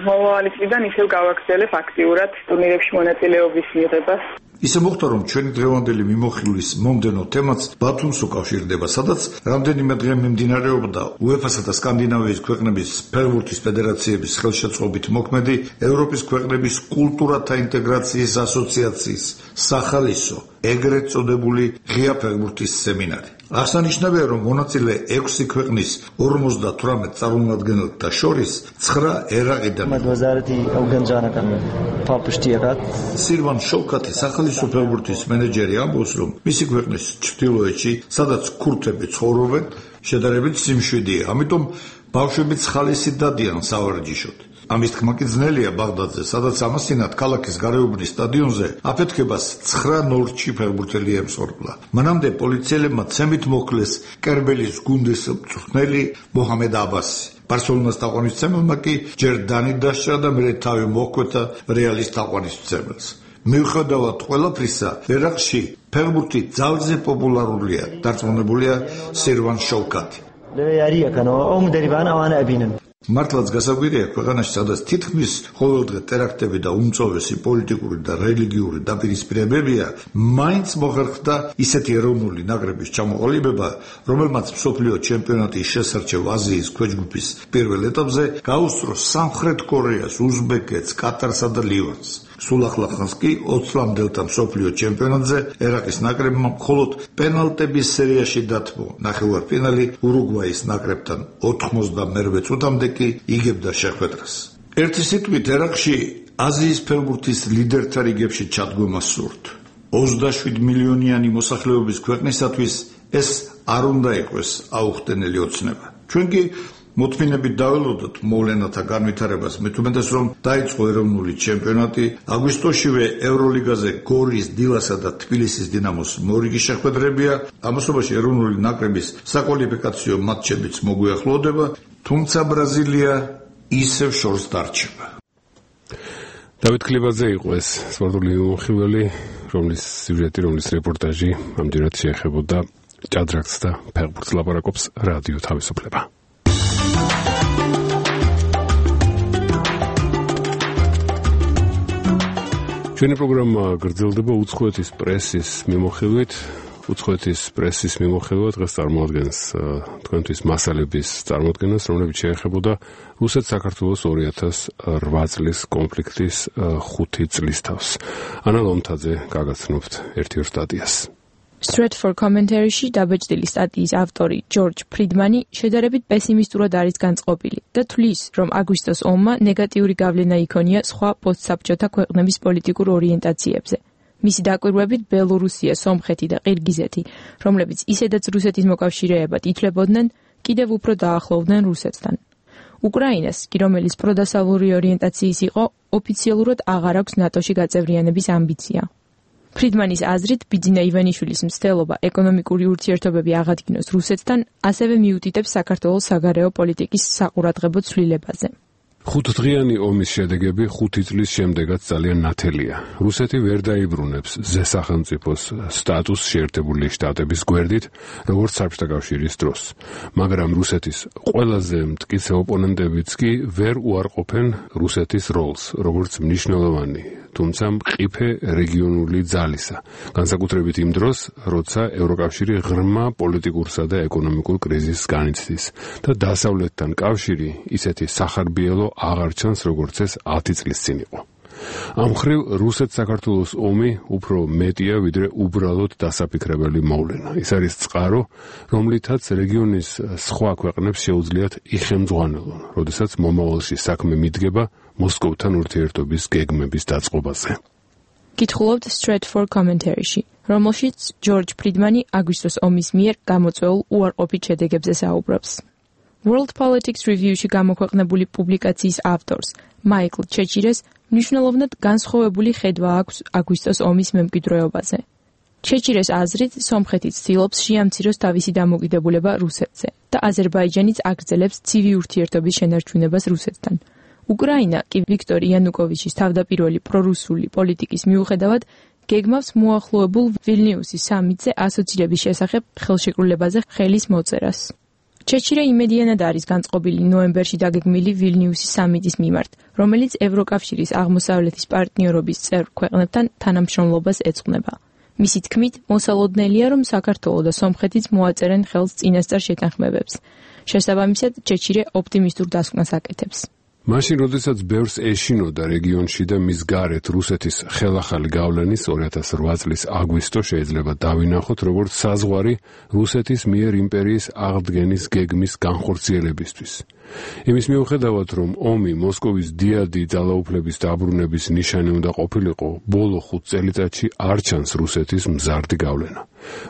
მომავალი წლიდან ისევ გავაგრძელებ აქტიურად ტურნირებში მონაწილეობის მიღებას. ისე მოხდა, რომ ჩვენი დღევანდელი მიმოხილვის მომდენო თემაც ბათუმს უკავშირდება, სადაც რამდენიმე დღე მიმდინარეობდა UEFA-სა და სკანდინავიის ქვეყნების ფეხბურთის ფედერაციების ხელშეწყობით მოქმედი ევროპის ქვეყნების კულტურათა ინტეგრაციის ასოციაციის სახალისო, ეგრეთ წოდებული ღია ფეხბურთის სემინარი. აღსანიშნავია, რომ მონაწილე 6 ქვეყნის 58 წარმომადგენელთა შორის 9 ერაყიდან. სილვან შოვკათი სახალისო ფეხბურთის მენეჯერი ამბობს, რომ მისი ქვეყნის ჩრდილოეთში, სადაც ქურთები ცხოვრობენ, შედარებით სიმშვიდეა, ამიტომ ბავშვებიც ხალისი დადიან სავარჯიშოდ. ამის თქმა კი ძნელია ბაღდადზე, სადაც ამასთანავე ქალაქის გარეუბნის სტადიონზე აფეთქებას 9-0-ში ფეხბურთელი ემსხვერპლა. მანამდე პოლიციელებმა ცემით მოკლეს კერბელის გუნდის მწვრთნელი მოჰამედ აბასი. ბარსელონას თაყვანისმცემელმა კი ჯერ დანი დასჭრა და მერე თავი მოჰკვეთა რეალის თაყვანისმცემელს. მიუხედავად ყველაფრისა, ერაყში ფეხბურთი ძალზე პოპულარულია, დარწმუნებულია სირვან შოვკათი. მართლაც გასაგვირია ქვეყანაში, სადაც თითქმის ყოველდღე ტერაქტები და უმწოვესი პოლიტიკური და რელიგიური დაპირისპირებებია, მაინც მოხერხდა ისეთი ეროვნული ნაკრების ჩამოყალიბება, რომელმაც მსოფლიო ჩემპიონატის შესარჩევ აზიის ქვეჯგუფის პირველ ეტაპზე გაუსწრო სამხრეთ კორეას, უზბეკეთს, კატარსა და ლივანს. სულ ახლა ხანს კი 20-ლამდელთა მსოფლიო ჩემპიონატზე ერაყის ნაკრებმა მხოლოდ პენალტების სერიაში დათმო. ნახევარფინალი ურუგვაის ნაკრებთან 88 წუთამდე კი იგებდა შეხვედრას. ერთი სიტყვით, ერაყში აზიის ფეხბურთის ლიდერთა რიგებში ჩადგომა სურთ. 27 მილიონიანი მოსახლეობის ქვეყნისათვის ეს არ უნდა იყოს აუხტენელი ოცნება. ჩვენ კი მოთმინებით დაველოდოთ მოვლენათა განვითარებას, მით უმეტეს რომ დაიწყო ეროვნული ჩემპიონატი, აგვისტოშივე ევროლიგაზე გორის, დილასა და თბილისის დინამოს მორიგი შეხვედრებია, ამასობაში ეროვნული ნაკრების საკვალიფიკაციო მატჩებიც მოგვიახლოვდება, თუმცა ბრაზილია ისევ შორს დარჩება. დავით ქლიბაძე იყო ეს სპორტული მომხილველი, რომლის სიუჟეტი, რომლის რეპორტაჟი ამდენად შეეხებოდა ჭადრაკს და ფეხბურთს ლაპარაკობს რადიო თავისუფლება. ჩვენი პროგრამა გრძელდება უცხოეთის პრესის მიმოხილვით. უცხოეთის პრესის მიმოხილვა დღეს წარმოადგენს თქვენთვის მასალების წარმოადგენას, რომლებიც შეეხებოდა რუსეთ-საქართველოს 2008 წლის კონფლიქტის 5 წლის თავს. ანა ლომთაძე გაგაცნობთ ერთ-ერთ სტატიას. Straight for Commentary-ში დაბეჭდილი სტატიის ავტორი ჯორჯ ფრიდმანი შედარებით პესიმისტურად არის განწყობილი და თვლის, რომ აგვისტოს ომმა ნეგატიური გავლენა იქონია სხვა პოსტსაბჭოთა ქვეყნების პოლიტიკურ ორიენტაციებზე. მისი დაკვირვებით ბელორუსია, სომხეთი და ყირგიზეთი, რომლებიც ისედაც რუსეთის მოკავშირეებად ითვლებოდნენ, კიდევ უფრო დაახლოვდნენ რუსეთთან. უკრაინას, კი რომელიც პროდასავლური ორიენტაციის იყო, ოფიციალურად აღარ აქვს ნატოში გაწევრიანების ამბიცია. ფრიდმანის აზრით, ბიძინა ივანიშვილის მცდელობა ეკონომიკური ურთიერთობები აღადგინოს რუსეთთან, ასევე მიუთითებს საქართველოს საგარეო პოლიტიკის საყურადღებო ცვლილებაზე. 5 დღიანი ომის შედეგები 5 წლის შემდეგაც ძალიან ნათელია. რუსეთი ვერ დაიბრუნებს ზესახელმწიფოს სტატუსს შეერთებული შტატების გვერდით, როგორც საბჭოთა კავშირის დროს. მაგრამ რუსეთის ყველაზე მტკიცე ოპონენტებიც კი ვერ უარყოფენ რუსეთის როლს, როგორც მნიშვნელოვანი, თუმცა მყიფე რეგიონული ძალისა, განსაკუთრებით იმ დროს, როცა ევროკავშირი ღრმა პოლიტიკურსა და ეკონომიკურ კრიზისს განიცდის და დასავლეთთან კავშირი ისეთი სახარბიელო აღარ ჩანს, როგორც ეს 10 წლის წინ იყო. ამ მხრივ რუსეთ-საქართველოს ომი უფრო მეტია, ვიდრე უბრალოდ დასაფიქრებელი მოვლენა. ის არის წყარო, რომლითაც რეგიონის სხვა ქვეყნებს შეუძლიათ იხემძღვანელონ, როდესაც მომავალში საქმე მიდგება მოსკოვთან ურთიერთობის გეგმების დაწყობაზე. კითხულობთ Straight for Commentary-ში, რომელშიც ჯორჯ ფრიდმანი აგვისტოს ომის მიერ გამოწვეულ უარყოფით შედეგებზე საუბრობს. World Politics Review-ში გამოქვეყნებული პუბლიკაციის ავტორს, მაიკლ ჩეჩირეს, მნიშვნელოვნად განსხვავებული ხედვა აქვს აგვისტოს ომის მემკვიდრეობაზე. ჩეჩირეს აზრით, სომხეთი ცდილობს შეამციროს თავისი დამოკიდებულება რუსეთზე და აზერბაიჯანიც აგრძელებს ცივი ურთიერთობის შენარჩუნებას რუსეთთან. უკრაინა კი ვიქტორ იანუკოვიჩის თავდაპირველი პრორუსული პოლიტიკის მიუხედავად გეგმავს მოახლოებულ ვილნიუსის სამიტზე ასოცირების შესახებ ხელშეკრულებაზე ხელის მოწერას. ჩეჩირე იმედიანად არის განწყობილი ნოემბერში დაგეგმილი ვილნიუსის სამიტის მიმართ, რომელიც ევროკავშირის აღმოსავლეთის პარტნიორობის წევრ ქვეყნებთან თანამშრომლობას ეძღვნება. მისი თქმით, მოსალოდნელია, რომ საქართველო და სომხეთიც მოაწერენ ხელს წინასწარ შეთანხმებებს. შესაბამისად, ჩეჩირე ოპტიმისტურ დასკვნას აკეთებს. მაშინ, როდესაც ბევრს ეშინოდა რეგიონში და მის გარეთ რუსეთის ხელახალი გავლენის 2008 წლის აგვისტო შეიძლება დავინახოთ, როგორც საზღვარი რუსეთის მიერ იმპერიის აღდგენის გეგმის განხორციელებისთვის. იმის მიუხედავად, რომ ომი მოსკოვის დიადი ძალაუფლების დაბრუნების ნიშანი უნდა ყოფილიყო, ბოლო 5 წელიწადში არ ჩანს რუსეთის მზარდი გავლენა.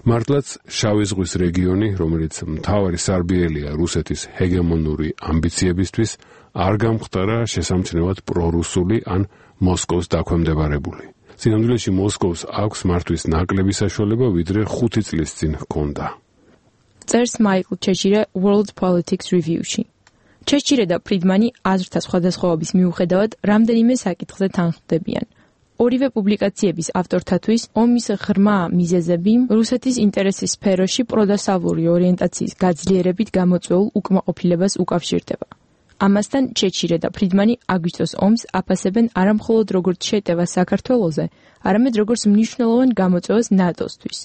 მართლაც შავი ზღვის რეგიონი, რომელიც მთავარი სარბიელია რუსეთის ჰეგემონური ამბიციებისთვის, არ გამხდარა შესამჩნევად პრორუსული ან მოსკოვს დაქვემდებარებული. სინამდვილეში მოსკოვს აქვს მართვის ნაკლები საშუალება, ვიდრე 5 წლის წინ ჰქონდა. წერს მაიკლ ჩეჩირე World Politics Review-ში. ჩეჩირე და ფრიდმანი აზრთა სხვადასხვაობის მიუხედავად რამდენიმე საკითხზე თანხმდებიან. ორივე პუბლიკაციების ავტორთათვის ომის ღრმა მიზეზები რუსეთის ინტერესის სფეროში პროდასავლური ორიენტაციის გაძლიერებით გამოწვეულ უკმაყოფილებას უკავშირდება. ამასთან ჩეჩირე და ფრიდმანი აგვისტოს ომს აფასებენ არამხოლოდ როგორც შეტევას საქართველოზე, არამედ როგორც მნიშვნელოვან გამოწვევას ნატოსთვის.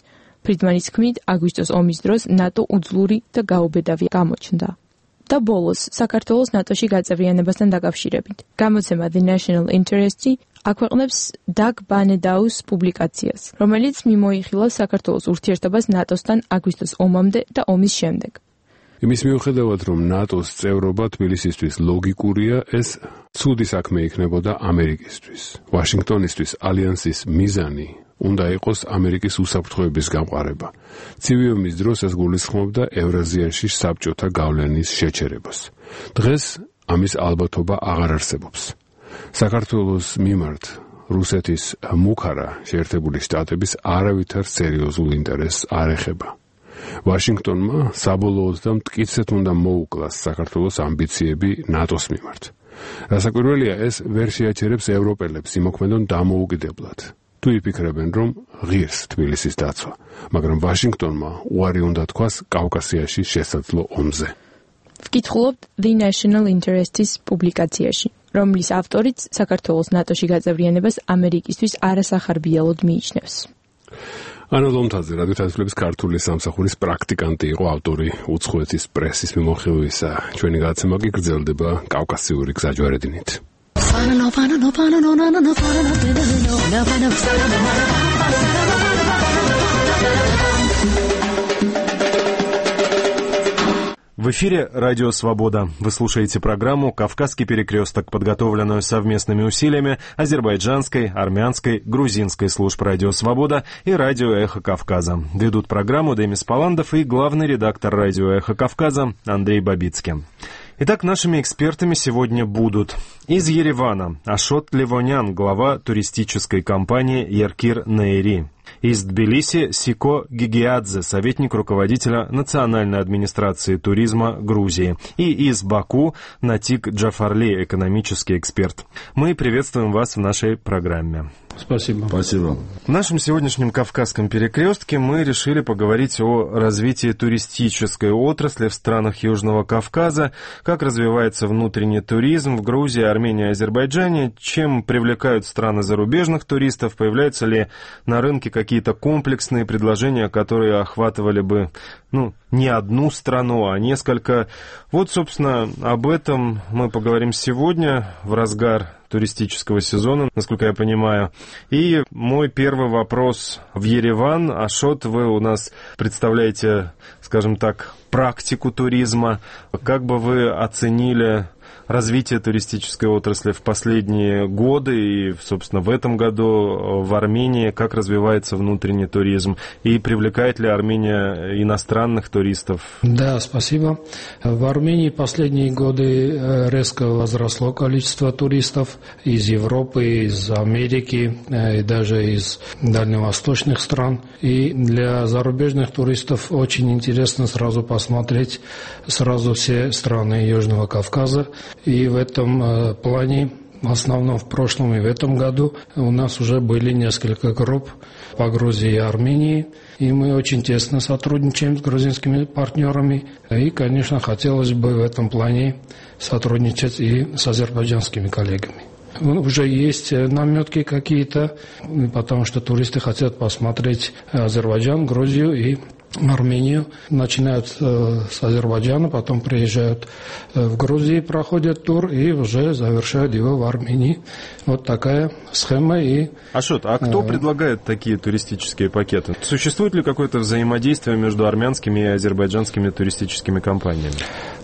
ფრიდმანის თქმით, აგვისტოს ომის დროს ნატო უძლური და გაუბედავი გამოჩნდა. და ბოლოს, საქართველოს ნატოში გაწევრიანებასთან დაკავშირებით. გამოცემა The National Interest-ი აქვეყნებს დაგ ბანედაუს პუბლიკაციას, რომელიც მიმოიხილა საქართველოს ურთიერთობას ნატოსთან აგვისტოს ომამდე და ომის შემდეგ. იმის მიუხედავად, რომ ნატოს წევრობა თბილისისთვის ლოგიკურია, ეს ცუდი საქმე იქნებოდა ამერიკისთვის. ვაშინგტონისთვის ალიანსის მიზანი უნდა იყოს ამერიკის უსაფრთხოების გამყარება. ცივი ომის დროს ეს გულისხმობდა ევრაზიაში საბჭოთა გავლენის შეჩერებას. დღეს ამის ალბათობა აღარ არსებობს. საქართველოს მიმართ რუსეთის მუქარა შეერთებული შტატების არავითარ სერიოზულ ინტერესს არ ეხება. ვაშინგტონმა საბოლოოდ და მტკიცედ უნდა მოუკლას საქართველოს ამბიციები ნატოს მიმართ. რასაკვირველია, ეს ვერ შეაჩერებს ევროპელებს იმოქმედონ დამოუკიდებლად. თუ იფიქრებენ, რომ ღირს თბილისის დაცვა, მაგრამ ვაშინგტონმა უარი უნდა თქვას კავკასიაში შესაძლო ომზე. ვკითხულობთ The National Interest-ის პუბლიკაციაში, რომლის ავტორიც საქართველოს ნატოში გაწევრიანებას ამერიკისთვის არასახარბიელოდ მიიჩნევს. ანა ლომთაძე, რადიო თავისუფლების ქართული სამსახურის პრაქტიკანტი იყო, ავტორი უცხოეთის პრესის მიმოხილვისა. ჩვენი გადაცემა კი გრძელდება კავკასიური გზაჯვარედინით. В эфире «Радио Свобода». Вы слушаете программу «Кавказский перекресток», подготовленную совместными усилиями азербайджанской, армянской, грузинской служб «Радио Свобода» и «Радио Эхо Кавказа». Ведут программу Демис Паландов и главный редактор «Радио Эхо Кавказа» Андрей Бабицкий. Итак, нашими экспертами сегодня будут из Еревана Ашот Левонян, глава туристической компании «Еркир Нейри». Из Тбилиси Сико Гигиадзе, советник руководителя Национальной администрации туризма Грузии. И из Баку Натик Джафарли, экономический эксперт. Мы приветствуем вас в нашей программе. Спасибо. Спасибо. В нашем сегодняшнем Кавказском перекрестке мы решили поговорить о развитии туристической отрасли в странах Южного Кавказа, как развивается внутренний туризм в Грузии, Армении и Азербайджане, чем привлекают страны зарубежных туристов, появляются ли на рынке какие-то комплексные предложения, которые охватывали бы, не одну страну, а несколько. Вот, собственно, об этом мы поговорим сегодня в разгар туристического сезона, насколько я понимаю. И мой первый вопрос в Ереван. Ашот, вы у нас представляете, скажем так, практику туризма. Как бы вы оценили развитие туристической отрасли в последние годы и, собственно, в этом году в Армении, как развивается внутренний туризм и привлекает ли Армения иностранных туристов? Да, спасибо. В Армении последние годы резко возросло количество туристов из Европы, из Америки и даже из дальневосточных стран. И для зарубежных туристов очень интересно сразу посмотреть сразу все страны Южного Кавказа. И в этом плане, в основном в прошлом и в этом году, у нас уже были несколько групп по Грузии и Армении. И мы очень тесно сотрудничаем с грузинскими партнерами. И, конечно, хотелось бы в этом плане сотрудничать и с азербайджанскими коллегами. Уже есть наметки какие-то, потому что туристы хотят посмотреть Азербайджан, Грузию и Армению. Начинают с Азербайджана, потом приезжают в Грузию, проходят тур и уже завершают его в Армении. Вот такая схема. Ашот, а кто предлагает такие туристические пакеты? Существует ли какое-то взаимодействие между армянскими и азербайджанскими туристическими компаниями?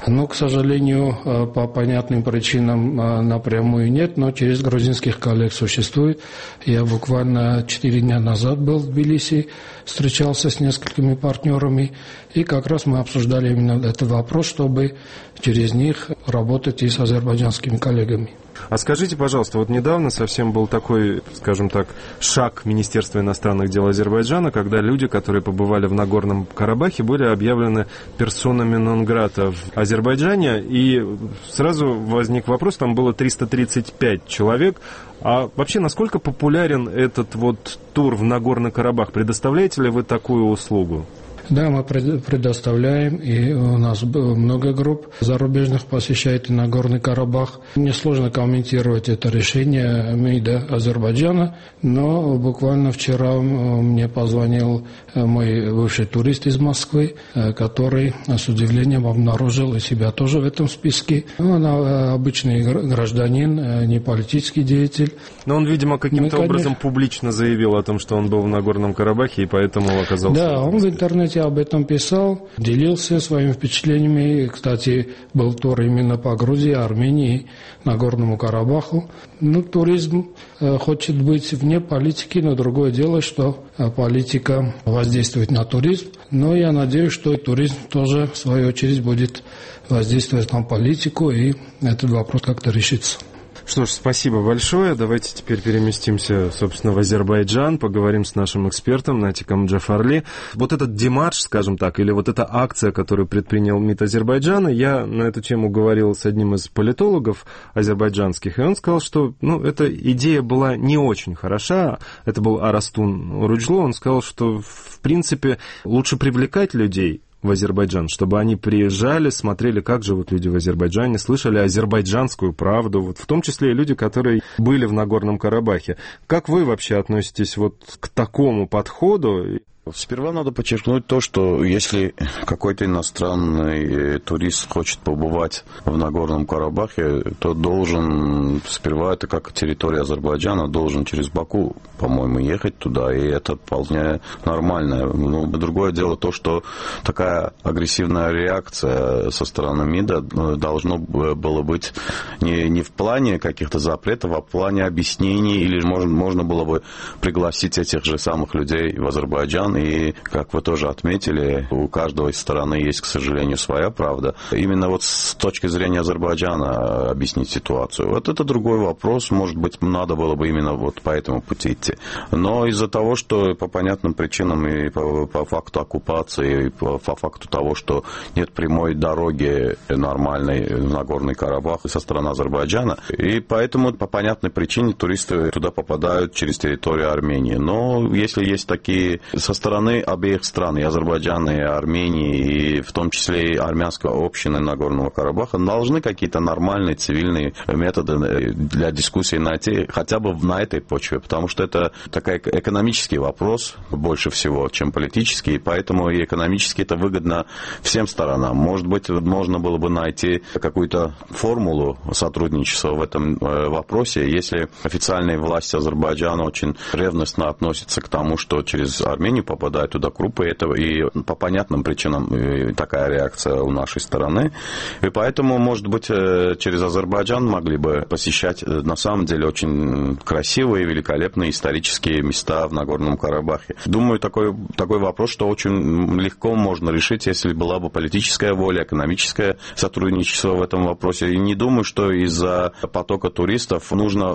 К сожалению, по понятным причинам напрямую нет, но через грузинских коллег существует. Я буквально 4 дня назад был в Тбилиси, встречался с несколькими партнерами, и как раз мы обсуждали именно этот вопрос, чтобы через них работать и с азербайджанскими коллегами. А скажите, пожалуйста, вот недавно совсем был такой, скажем так, шаг Министерства иностранных дел Азербайджана, когда люди, которые побывали в Нагорном Карабахе, были объявлены персонами нон-грата в Азербайджане, и сразу возник вопрос, там было 335 человек. А вообще, насколько популярен этот вот тур в Нагорный Карабах? Предоставляете ли вы такую услугу? Да, мы предоставляем, и у нас много групп зарубежных посещает Нагорный Карабах. Мне сложно комментировать это решение МИДа Азербайджана, но буквально вчера мне позвонил мой бывший турист из Москвы, который с удивлением обнаружил и себя тоже в этом списке. Он обычный гражданин, не политический деятель. Но он, видимо, каким-то образом публично заявил о том, что он был в Нагорном Карабахе, и поэтому оказался... Да, он в интернете об этом писал, делился своими впечатлениями. Кстати, был тур именно по Грузии, Армении, Нагорному Карабаху. Ну, туризм хочет быть вне политики, но другое дело, что политика воздействует на туризм. Но я надеюсь, что туризм тоже, в свою очередь, будет воздействовать на политику, и этот вопрос как-то решится. Что ж, спасибо большое. Давайте теперь переместимся, собственно, в Азербайджан, поговорим с нашим экспертом Натиком Джафарли. Вот этот демарш, скажем так, или вот эта акция, которую предпринял МИД Азербайджана, я на эту тему говорил с одним из политологов азербайджанских, и он сказал, что, эта идея была не очень хороша. Это был Арастун Уруджлу. Он сказал, что, в принципе, лучше привлекать людей в Азербайджан, чтобы они приезжали, смотрели, как живут люди в Азербайджане, слышали азербайджанскую правду, вот в том числе и люди, которые были в Нагорном Карабахе. Как вы вообще относитесь вот к такому подходу? Сперва надо подчеркнуть то, что если какой-то иностранный турист хочет побывать в Нагорном Карабахе, то должен, сперва это как территория Азербайджана, должен через Баку, по-моему, ехать туда, и это вполне нормально. Но другое дело то, что такая агрессивная реакция со стороны МИДа должно было быть не в плане каких-то запретов, а в плане объяснений, или можно было бы пригласить этих же самых людей в Азербайджан. И, как вы тоже отметили, у каждой стороны есть, к сожалению, своя правда. Именно вот с точки зрения Азербайджана объяснить ситуацию. Вот это другой вопрос. Может быть, надо было бы именно вот по этому пути идти. Но из-за того, что по понятным причинам и по факту оккупации, и по факту того, что нет прямой дороги нормальной в Нагорный Карабах со стороны Азербайджана, и поэтому по понятной причине туристы туда попадают через территорию Армении. Но если есть такие со стороны обеих стран, и Азербайджана, и Армении, и в том числе и армянской общины Нагорного Карабаха, должны какие-то нормальные цивильные методы для дискуссии найти хотя бы на этой почве, потому что это такой экономический вопрос больше всего, чем политический, и поэтому и экономически это выгодно всем сторонам. Может быть, можно было бы найти какую-то формулу сотрудничества в этом вопросе, если официальные власти Азербайджана очень ревностно относятся к тому, что через Армению попадают туда крупы, и по понятным причинам такая реакция у нашей стороны. И поэтому, может быть, через Азербайджан могли бы посещать на самом деле очень красивые, великолепные исторические места в Нагорном Карабахе. Думаю, такой вопрос, что очень легко можно решить, если была бы политическая воля, экономическое сотрудничество в этом вопросе. И не думаю, что из-за потока туристов нужно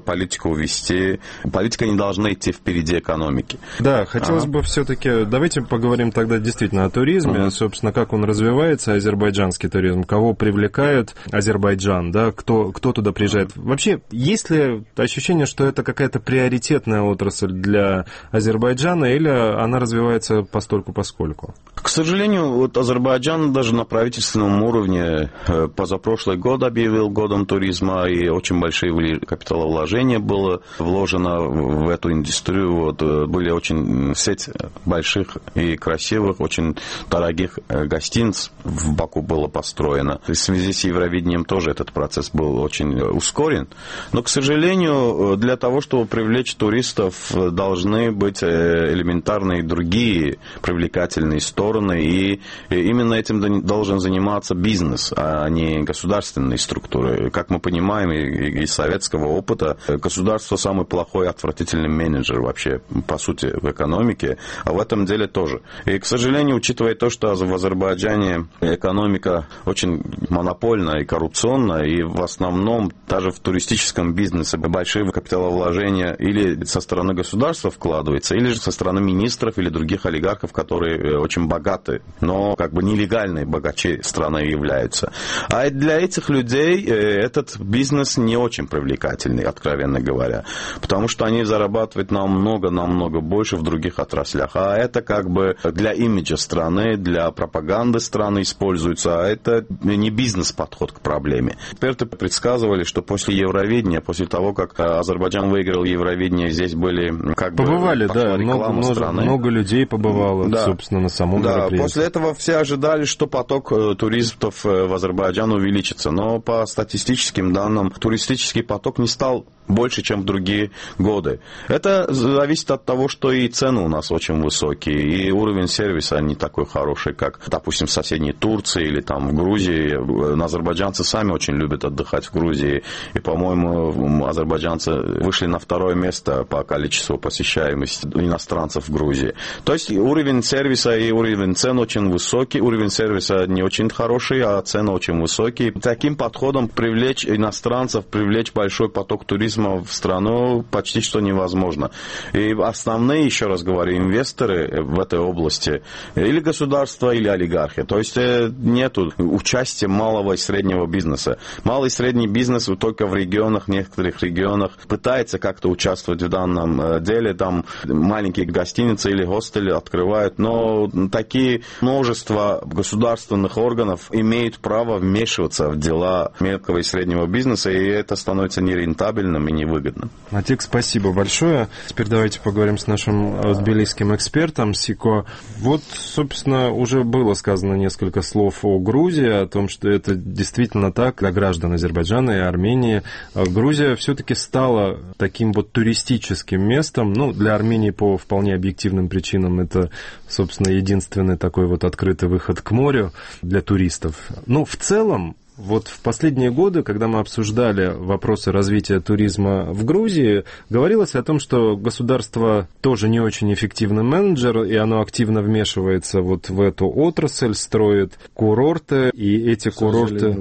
политику вести. Политика не должна идти впереди экономики. Да, хотелось бы все-таки, давайте поговорим тогда действительно о туризме, собственно, как он развивается, азербайджанский туризм, кого привлекает Азербайджан, да, кто туда приезжает. Вообще, есть ли ощущение, что это какая-то приоритетная отрасль для Азербайджана, или она развивается постольку-поскольку? К сожалению, вот Азербайджан даже на правительственном уровне позапрошлый год объявил годом туризма, и очень большие капиталовложения было вложено в эту индустрию. Вот, были очень сеть больших и красивых, очень дорогих гостиниц в Баку было построено. В связи с Евровидением тоже этот процесс был очень ускорен. Но, к сожалению, для того, чтобы привлечь туристов, должны быть элементарные другие привлекательные стороны, стороны, и именно этим должен заниматься бизнес, а не государственные структуры. Как мы понимаем из советского опыта, государство самый плохой, отвратительный менеджер вообще, по сути, в экономике, а в этом деле тоже. И, к сожалению, учитывая то, что в Азербайджане экономика очень монопольная и коррупционная, и в основном даже в туристическом бизнесе большие капиталовложения или со стороны государства вкладываются, или же со стороны министров или других олигархов, которые очень богаты, но как бы нелегальные богачи страны являются. А для этих людей этот бизнес не очень привлекательный, откровенно говоря, потому что они зарабатывают намного больше в других отраслях. А это как бы для имиджа страны, для пропаганды страны используется, а это не бизнес-подход к проблеме. Эксперты предсказывали, что после Евровидения, после того, как Азербайджан выиграл Евровидение, здесь были как побывали, бы да, много людей побывало, да, собственно, на самом мероприятии. После этого все ожидали, что поток туристов в Азербайджан увеличится, но по статистическим данным туристический поток не стал больше, чем в другие годы. Это зависит от того, что и цены у нас очень высокие, и уровень сервиса не такой хороший, как, допустим, в соседней Турции или там в Грузии. Азербайджанцы сами очень любят отдыхать в Грузии, и, по-моему, азербайджанцы вышли на второе место по количеству посещаемости иностранцев в Грузии. То есть уровень сервиса и уровень цен очень высокий, уровень сервиса не очень хороший, а цены очень высокие. Таким подходом привлечь иностранцев, привлечь большой поток туризма в страну почти что невозможно. И основные, еще раз говорю, инвесторы в этой области или государство, или олигархи. То есть нет участия малого и среднего бизнеса. Малый и средний бизнес только в регионах, некоторых регионах пытается как-то участвовать в данном деле. Там маленькие гостиницы или хостели открывают, но такие множество государственных органов имеют право вмешиваться в дела мелкого и среднего бизнеса, и это становится нерентабельным и невыгодным. Атик, спасибо большое. Теперь давайте поговорим с нашим тбилисским экспертом Сико. Вот, собственно, уже было сказано несколько слов о Грузии, о том, что это действительно так для граждан Азербайджана и Армении. Грузия все-таки стала таким вот туристическим местом. Ну, для Армении по вполне объективным причинам это, собственно, единственный такой вот открытый выход к морю для туристов. Но в целом, вот в последние годы, когда мы обсуждали вопросы развития туризма в Грузии, говорилось о том, что государство тоже не очень эффективный менеджер, и оно активно вмешивается вот в эту отрасль, строит курорты, и эти курорты,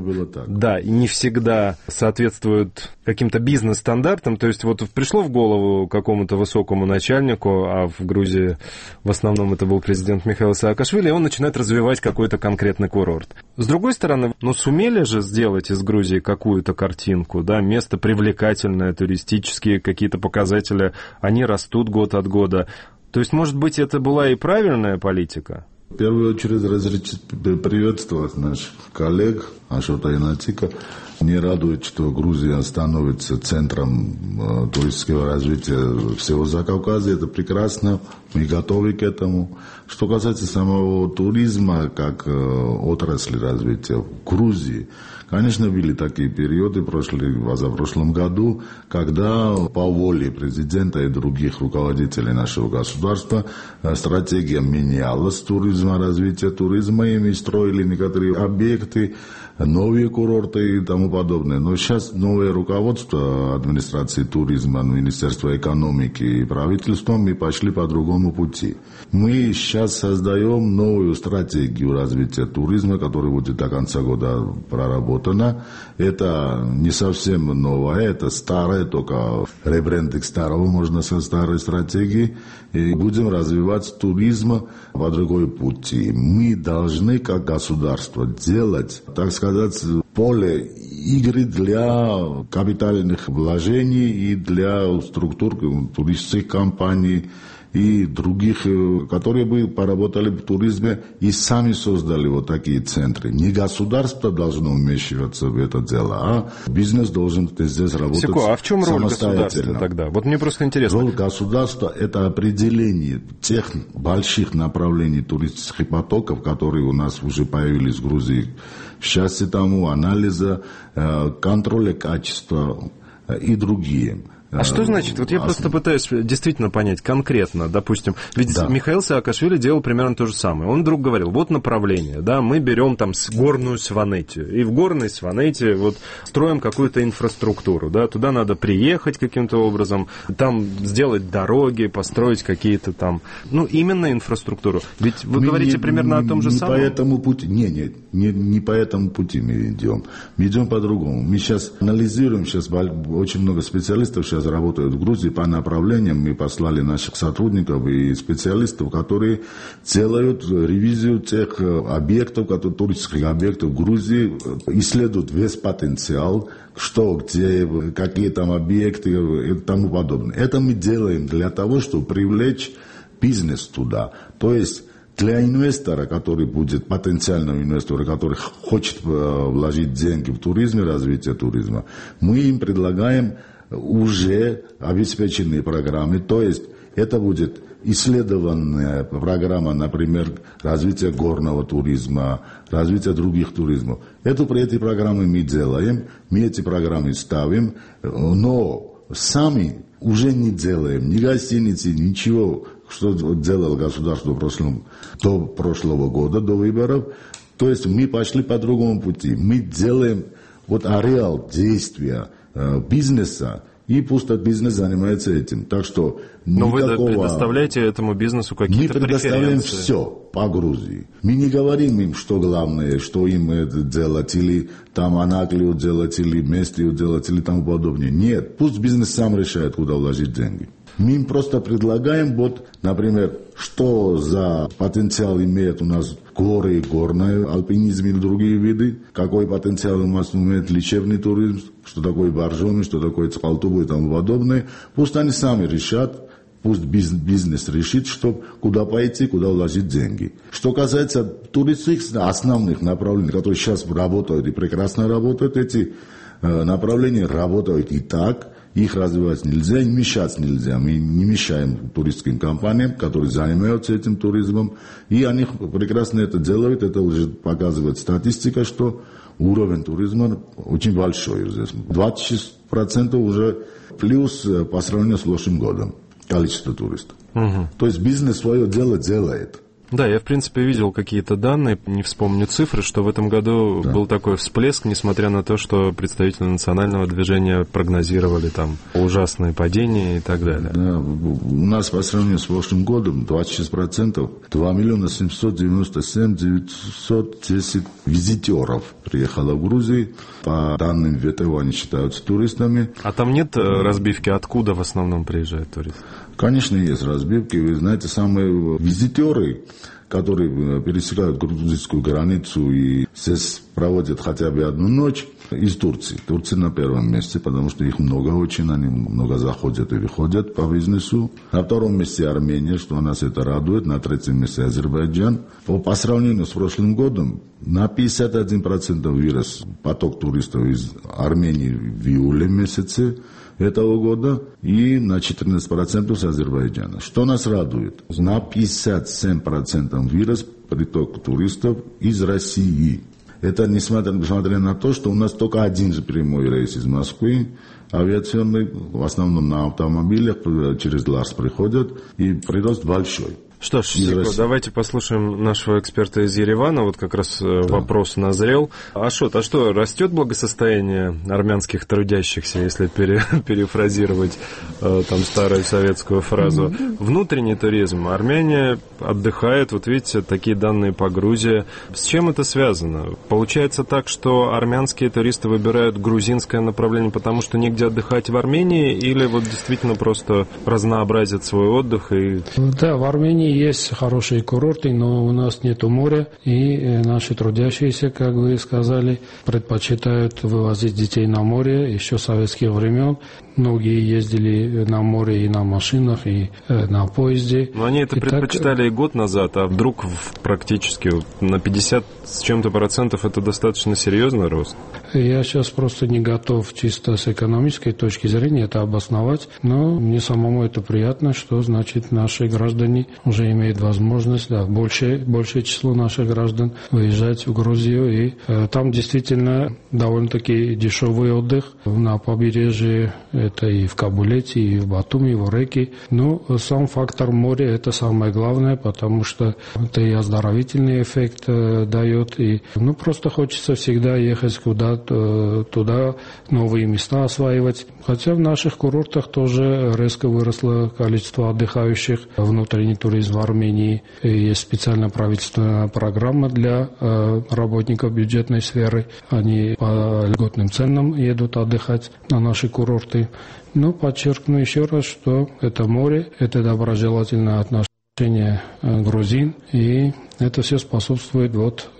да, не всегда соответствуют каким-то бизнес-стандартам. То есть вот пришло в голову какому-то высокому начальнику, а в Грузии в основном это был президент Михаил Саакашвили, и он начинает развивать какой-то конкретный курорт. С другой стороны, ну, сумели же сделать из Грузии какую-то картинку, да, место привлекательное, туристические какие-то показатели, они растут год от года. То есть, может быть, это была и правильная политика? В первую очередь разрешите приветствовать наших коллег Ашота и Натика. Мне радует, что Грузия становится центром туристического развития всего Закавказья. Это прекрасно, мы готовы к этому. Что касается самого туризма как отрасли развития в Грузии, конечно, были такие периоды в прошлом году, когда по воле президента и других руководителей нашего государства стратегия менялась туризма, развития туризма, и мы строили некоторые объекты, новые курорты и тому подобное. Но сейчас новое руководство администрации туризма, Министерства экономики и правительства, мы пошли по другому пути. Мы сейчас создаем новую стратегию развития туризма, которая будет до конца года проработана. Это не совсем новое, это старое, только ребрендинг старого, можно сказать, старой стратегии. И будем развивать туризм по другой пути. Мы должны, как государство, делать, так сказать, поле игры для капитальных вложений и для структур туристических компаний и других, которые бы поработали в туризме и сами создали вот такие центры. Не государство должно вмешиваться в это дело, а бизнес должен здесь работать самостоятельно. А в чем роль государства тогда? Вот мне просто интересно. Роль государства – это определение тех больших направлений туристических потоков, которые у нас уже появились в Грузии. В части тому анализа, контроля качества и другие. А что значит? Вот я просто пытаюсь действительно понять конкретно, допустим, ведь Михаил Саакашвили делал примерно то же самое. Он вдруг говорил, вот направление, да, мы берем там горную Сванетию, и в горной Сванетии вот строим какую-то инфраструктуру, да, туда надо приехать каким-то образом, там сделать дороги, построить какие-то там, именно инфраструктуру. Ведь вы говорите примерно о том же самом. По этому пути, не по этому пути мы идем. Мы идем по-другому. Мы сейчас анализируем, сейчас очень много специалистов сейчас работают в Грузии по направлениям. Мы послали наших сотрудников и специалистов, которые делают ревизию тех объектов, туристических объектов в Грузии, исследуют весь потенциал, что, где, какие там объекты и тому подобное. Это мы делаем для того, чтобы привлечь бизнес туда. То есть для инвестора, который будет, потенциального инвестора, который хочет вложить деньги в туризм и развитие туризма, мы им предлагаем уже обеспеченные программы. То есть это будет исследованная программа, например, развития горного туризма, развития других туризмов. Эти программы мы делаем, мы эти программы ставим, но сами уже не делаем ни гостиницы, ничего, что делало государство до прошлого года, до выборов. То есть мы пошли по другому пути. Мы делаем ареал действия бизнеса, и пусть бизнес занимается этим. Так что но вы предоставляете этому бизнесу какие-то преференции? Мы предоставляем все по Грузии. Мы не говорим им, что главное, что им это делать, или там Анаклию делать, или Местрию делать, или тому подобное. Нет, пусть бизнес сам решает, куда вложить деньги. Мы им просто предлагаем, например, что за потенциал имеет у нас горы, горный альпинизм или другие виды, какой потенциал у нас имеет лечебный туризм, что такое боржоми, что такое цпалтубы и тому подобное. Пусть они сами решат, пусть бизнес решит, куда пойти, куда вложить деньги. Что касается туристических основных направлений, которые сейчас работают и прекрасно работают, эти направления работают и так. Их развивать нельзя, и мешать нельзя. Мы не мешаем туристским компаниям, которые занимаются этим туризмом. И они прекрасно это делают. Это уже показывает статистика, что уровень туризма очень большой здесь. 26% уже плюс по сравнению с прошлым годом количество туристов. То есть бизнес свое дело делает. Да, я, в принципе, видел какие-то данные, не вспомню цифры, что в этом году был такой всплеск, несмотря на то, что представители национального движения прогнозировали там ужасные падения и так далее. Да, у нас по сравнению с прошлым годом 26%, 2 797 910 визитеров приехало в Грузию. По данным ВТО они считаются туристами. А там нет разбивки, откуда в основном приезжают туристы? Конечно, есть разбивки. Вы знаете, самые визитеры, которые пересекают грузинскую границу и здесь проводят хотя бы одну ночь, из Турции. Турция на первом месте, потому что их много очень, они много заходят и выходят по бизнесу. На втором месте Армения, что нас это радует. На третьем месте Азербайджан. По сравнению с прошлым годом на 51% вырос поток туристов из Армении в июле месяце этого года и на 14% с Азербайджана. Что нас радует? На 57% вырос приток туристов из России. Это несмотря на то, что у нас только один же прямой рейс из Москвы, авиационный, в основном на автомобилях, через Ларс приходят, и прирост большой. Что ж, Сико, давайте послушаем нашего эксперта из Еревана. Вот как раз вопрос назрел. Ашот, а что, растет благосостояние армянских трудящихся, если перефразировать там старую советскую фразу? Внутренний туризм. Армяне отдыхают, вот видите, такие данные по Грузии. С чем это связано? Получается так, что армянские туристы выбирают грузинское направление, потому что негде отдыхать в Армении, или вот действительно просто разнообразят свой отдых? Да, в Армении есть хорошие курорты, но у нас нету моря, и наши трудящиеся, как вы сказали, предпочитают вывозить детей на море еще с советских времен. Многие ездили на море и на машинах, и на поезде. Но они это предпочитали и год назад, а вдруг практически на 50 с чем-то процентов это достаточно серьезный рост? Я сейчас просто не готов чисто с экономической точки зрения это обосновать, но мне самому это приятно, что значит наши граждане уже имеют возможность, да, большее число наших граждан выезжать в Грузию, и там действительно довольно-таки дешевый отдых на побережье, это и в Кабулете, и в Батуми, и в Ореке. Но сам фактор моря это самое главное, потому что это и оздоровительный эффект дает, и просто хочется всегда ехать куда-то туда, новые места осваивать. Хотя в наших курортах тоже резко выросло количество отдыхающих. Внутренний туризм в Армении, есть специальная правительственная программа для работников бюджетной сферы. Они по льготным ценам едут отдыхать на наши курорты. Но подчеркну еще раз, что это море, это доброжелательное отношение грузин, и это все способствует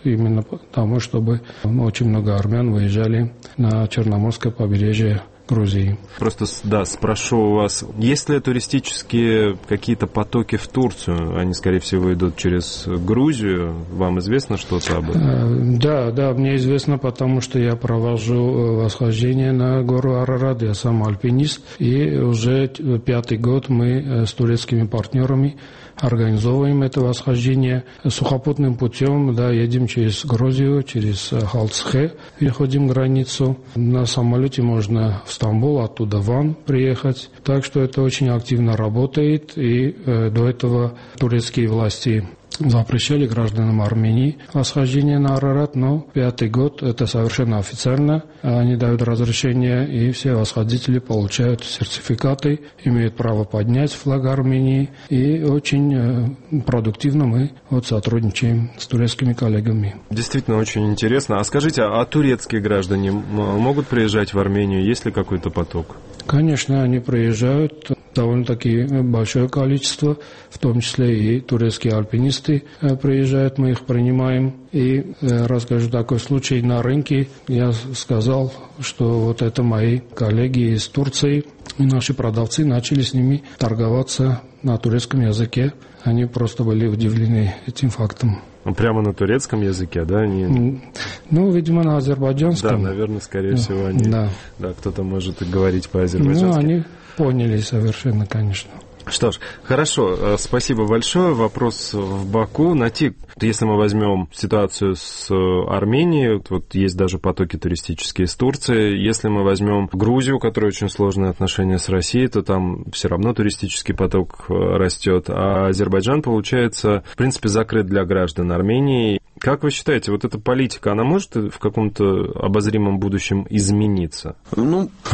именно тому, чтобы очень много армян выезжали на Черноморское побережье Грузии. Просто, да, спрошу у вас, есть ли туристические какие-то потоки в Турцию? Они, скорее всего, идут через Грузию. Вам известно что-то об этом? Да, мне известно, потому что я провожу восхождение на гору Арарат. Я сам альпинист, и уже 5-й год мы с турецкими партнерами организовываем это восхождение сухопутным путем, да, едем через Грузию, через Халцхе, переходим границу. На самолете можно в Стамбул, оттуда в Ван приехать. Так что это очень активно работает, и до этого турецкие власти запрещали гражданам Армении восхождение на Арарат, но 5-й год это совершенно официально. Они дают разрешение, и все восходители получают сертификаты, имеют право поднять флаг Армении, и очень продуктивно мы сотрудничаем с турецкими коллегами. Действительно очень интересно. А скажите, а турецкие граждане могут приезжать в Армению? Есть ли какой-то поток? Конечно, они приезжают, довольно-таки большое количество, в том числе и турецкие альпинисты приезжают, мы их принимаем. И расскажу такой случай на рынке. Я сказал, что это мои коллеги из Турции, и наши продавцы начали с ними торговаться на турецком языке. Они просто были удивлены этим фактом. Прямо на турецком языке, да? Видимо, на азербайджанском. Да, наверное, скорее всего, они. Да, кто-то может и говорить по-азербайджански. Они поняли совершенно, конечно. Что ж, хорошо, спасибо большое. Вопрос в Баку. Натик, если мы возьмем ситуацию с Арменией, есть даже потоки туристические из Турции. Если мы возьмем Грузию, у которой очень сложные отношения с Россией, то там все равно туристический поток растет. А Азербайджан, получается, в принципе, закрыт для граждан Армении. Как вы считаете, эта политика, она может в каком-то обозримом будущем измениться?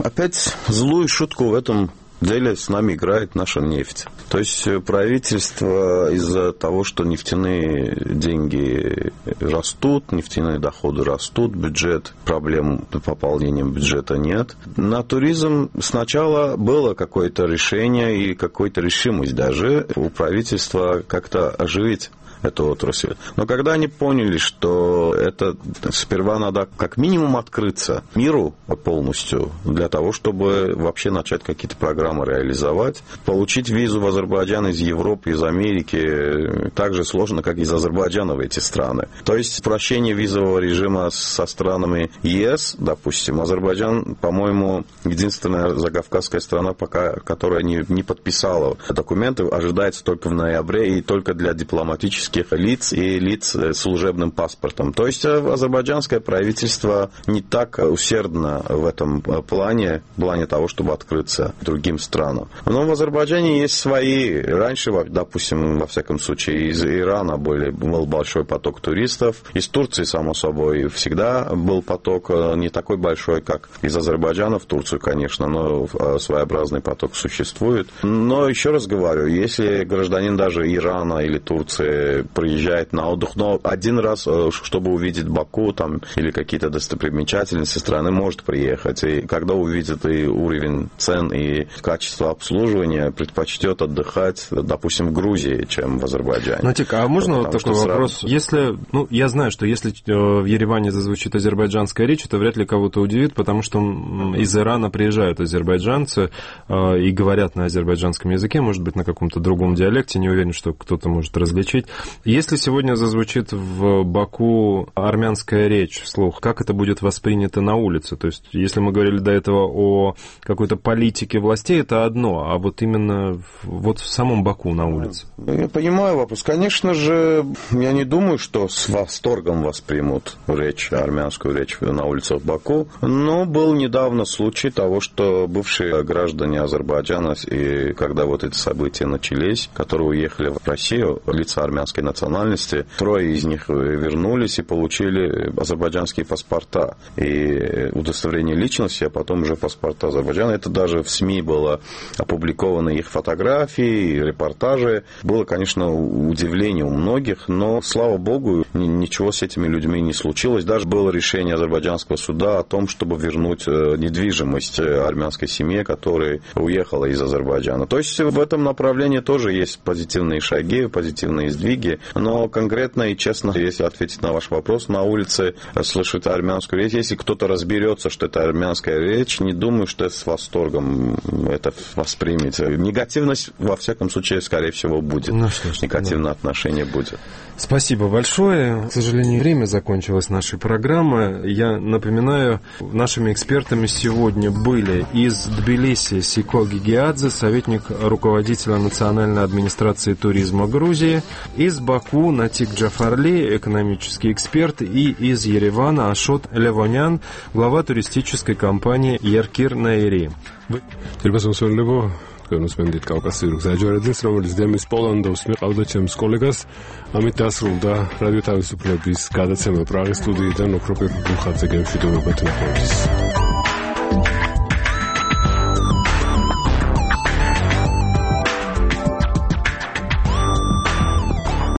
Опять злую шутку в этом деле с нами играет наша нефть. То есть правительство из-за того, что нефтяные деньги растут, нефтяные доходы растут, бюджет, проблем с пополнением бюджета нет. На туризм сначала было какое-то решение и какая-то решимость даже у правительства как-то оживить эту отрасль. Но когда они поняли, что это сперва надо как минимум открыться миру полностью для того, чтобы вообще начать какие-то программы реализовать, получить визу в Азербайджан из Европы, из Америки так же сложно, как из Азербайджана в эти страны. То есть упрощение визового режима со странами ЕС, допустим, Азербайджан, по-моему, единственная закавказская страна, пока, которая не подписала документы, ожидается только в ноябре и только для дипломатических лиц и лиц с служебным паспортом. То есть азербайджанское правительство не так усердно в этом плане того, чтобы открыться другим странам. Но в Азербайджане есть свои. Раньше, допустим, во всяком случае, из Ирана был большой поток туристов. Из Турции, само собой, всегда был поток не такой большой, как из Азербайджана в Турцию, конечно, но своеобразный поток существует. Но еще раз говорю, если гражданин даже Ирана или Турции приезжает на отдых, но один раз, чтобы увидеть Баку там, или какие-то достопримечательности страны, может приехать. И когда увидит и уровень цен, и качество обслуживания, предпочтет отдыхать, допустим, в Грузии, чем в Азербайджане. Натик, а можно такой вопрос? Если, я знаю, что если в Ереване зазвучит азербайджанская речь, это вряд ли кого-то удивит, потому что из Ирана приезжают азербайджанцы и говорят на азербайджанском языке, может быть, на каком-то другом диалекте, не уверен, что кто-то может различить. Если сегодня зазвучит в Баку армянская речь вслух, как это будет воспринято на улице? То есть, если мы говорили до этого о какой-то политике властей, это одно, а вот именно вот в самом Баку на улице. Я понимаю вопрос. Конечно же, я не думаю, что с восторгом воспримут армянскую речь на улицах Баку, но был недавно случай того, что бывшие граждане Азербайджана, и когда вот эти события начались, которые уехали в Россию, лица армянской национальности, 3 из них вернулись и получили азербайджанские паспорта и удостоверение личности, а потом уже паспорта Азербайджана. Это даже в СМИ было опубликовано их фотографии, репортажи. Было, конечно, удивление у многих, но, слава богу, ничего с этими людьми не случилось. Даже было решение азербайджанского суда о том, чтобы вернуть недвижимость армянской семье, которая уехала из Азербайджана. То есть в этом направлении тоже есть позитивные шаги, позитивные сдвиги, но конкретно и честно, если ответить на ваш вопрос, на улице слышать армянскую речь, если кто-то разберется, что это армянская речь, не думаю, что с восторгом это воспримет. Негативность, во всяком случае, скорее всего, будет. Негативное отношение будет. Спасибо большое. К сожалению, время закончилось нашей программы. Я напоминаю, нашими экспертами сегодня были из Тбилиси Сико Гигиадзе, советник руководителя Национальной администрации туризма Грузии, из Баку Натик Джафарли, экономический эксперт, и из Еревана Ашот Левонян, глава туристической компании Еркир Наири. გენოსმენდით კავკასიურ გზაჯვარეძეს, რომელიც დემის პოლანდოს მიყავდა ჩემს კოლეგას. ამით დასრულდა რადიო თავისუფლების გადაცემა პრაღის სტუდიიდან. ოქროპირ ბულხაძე გემშვიდობებათ ნახვამდის.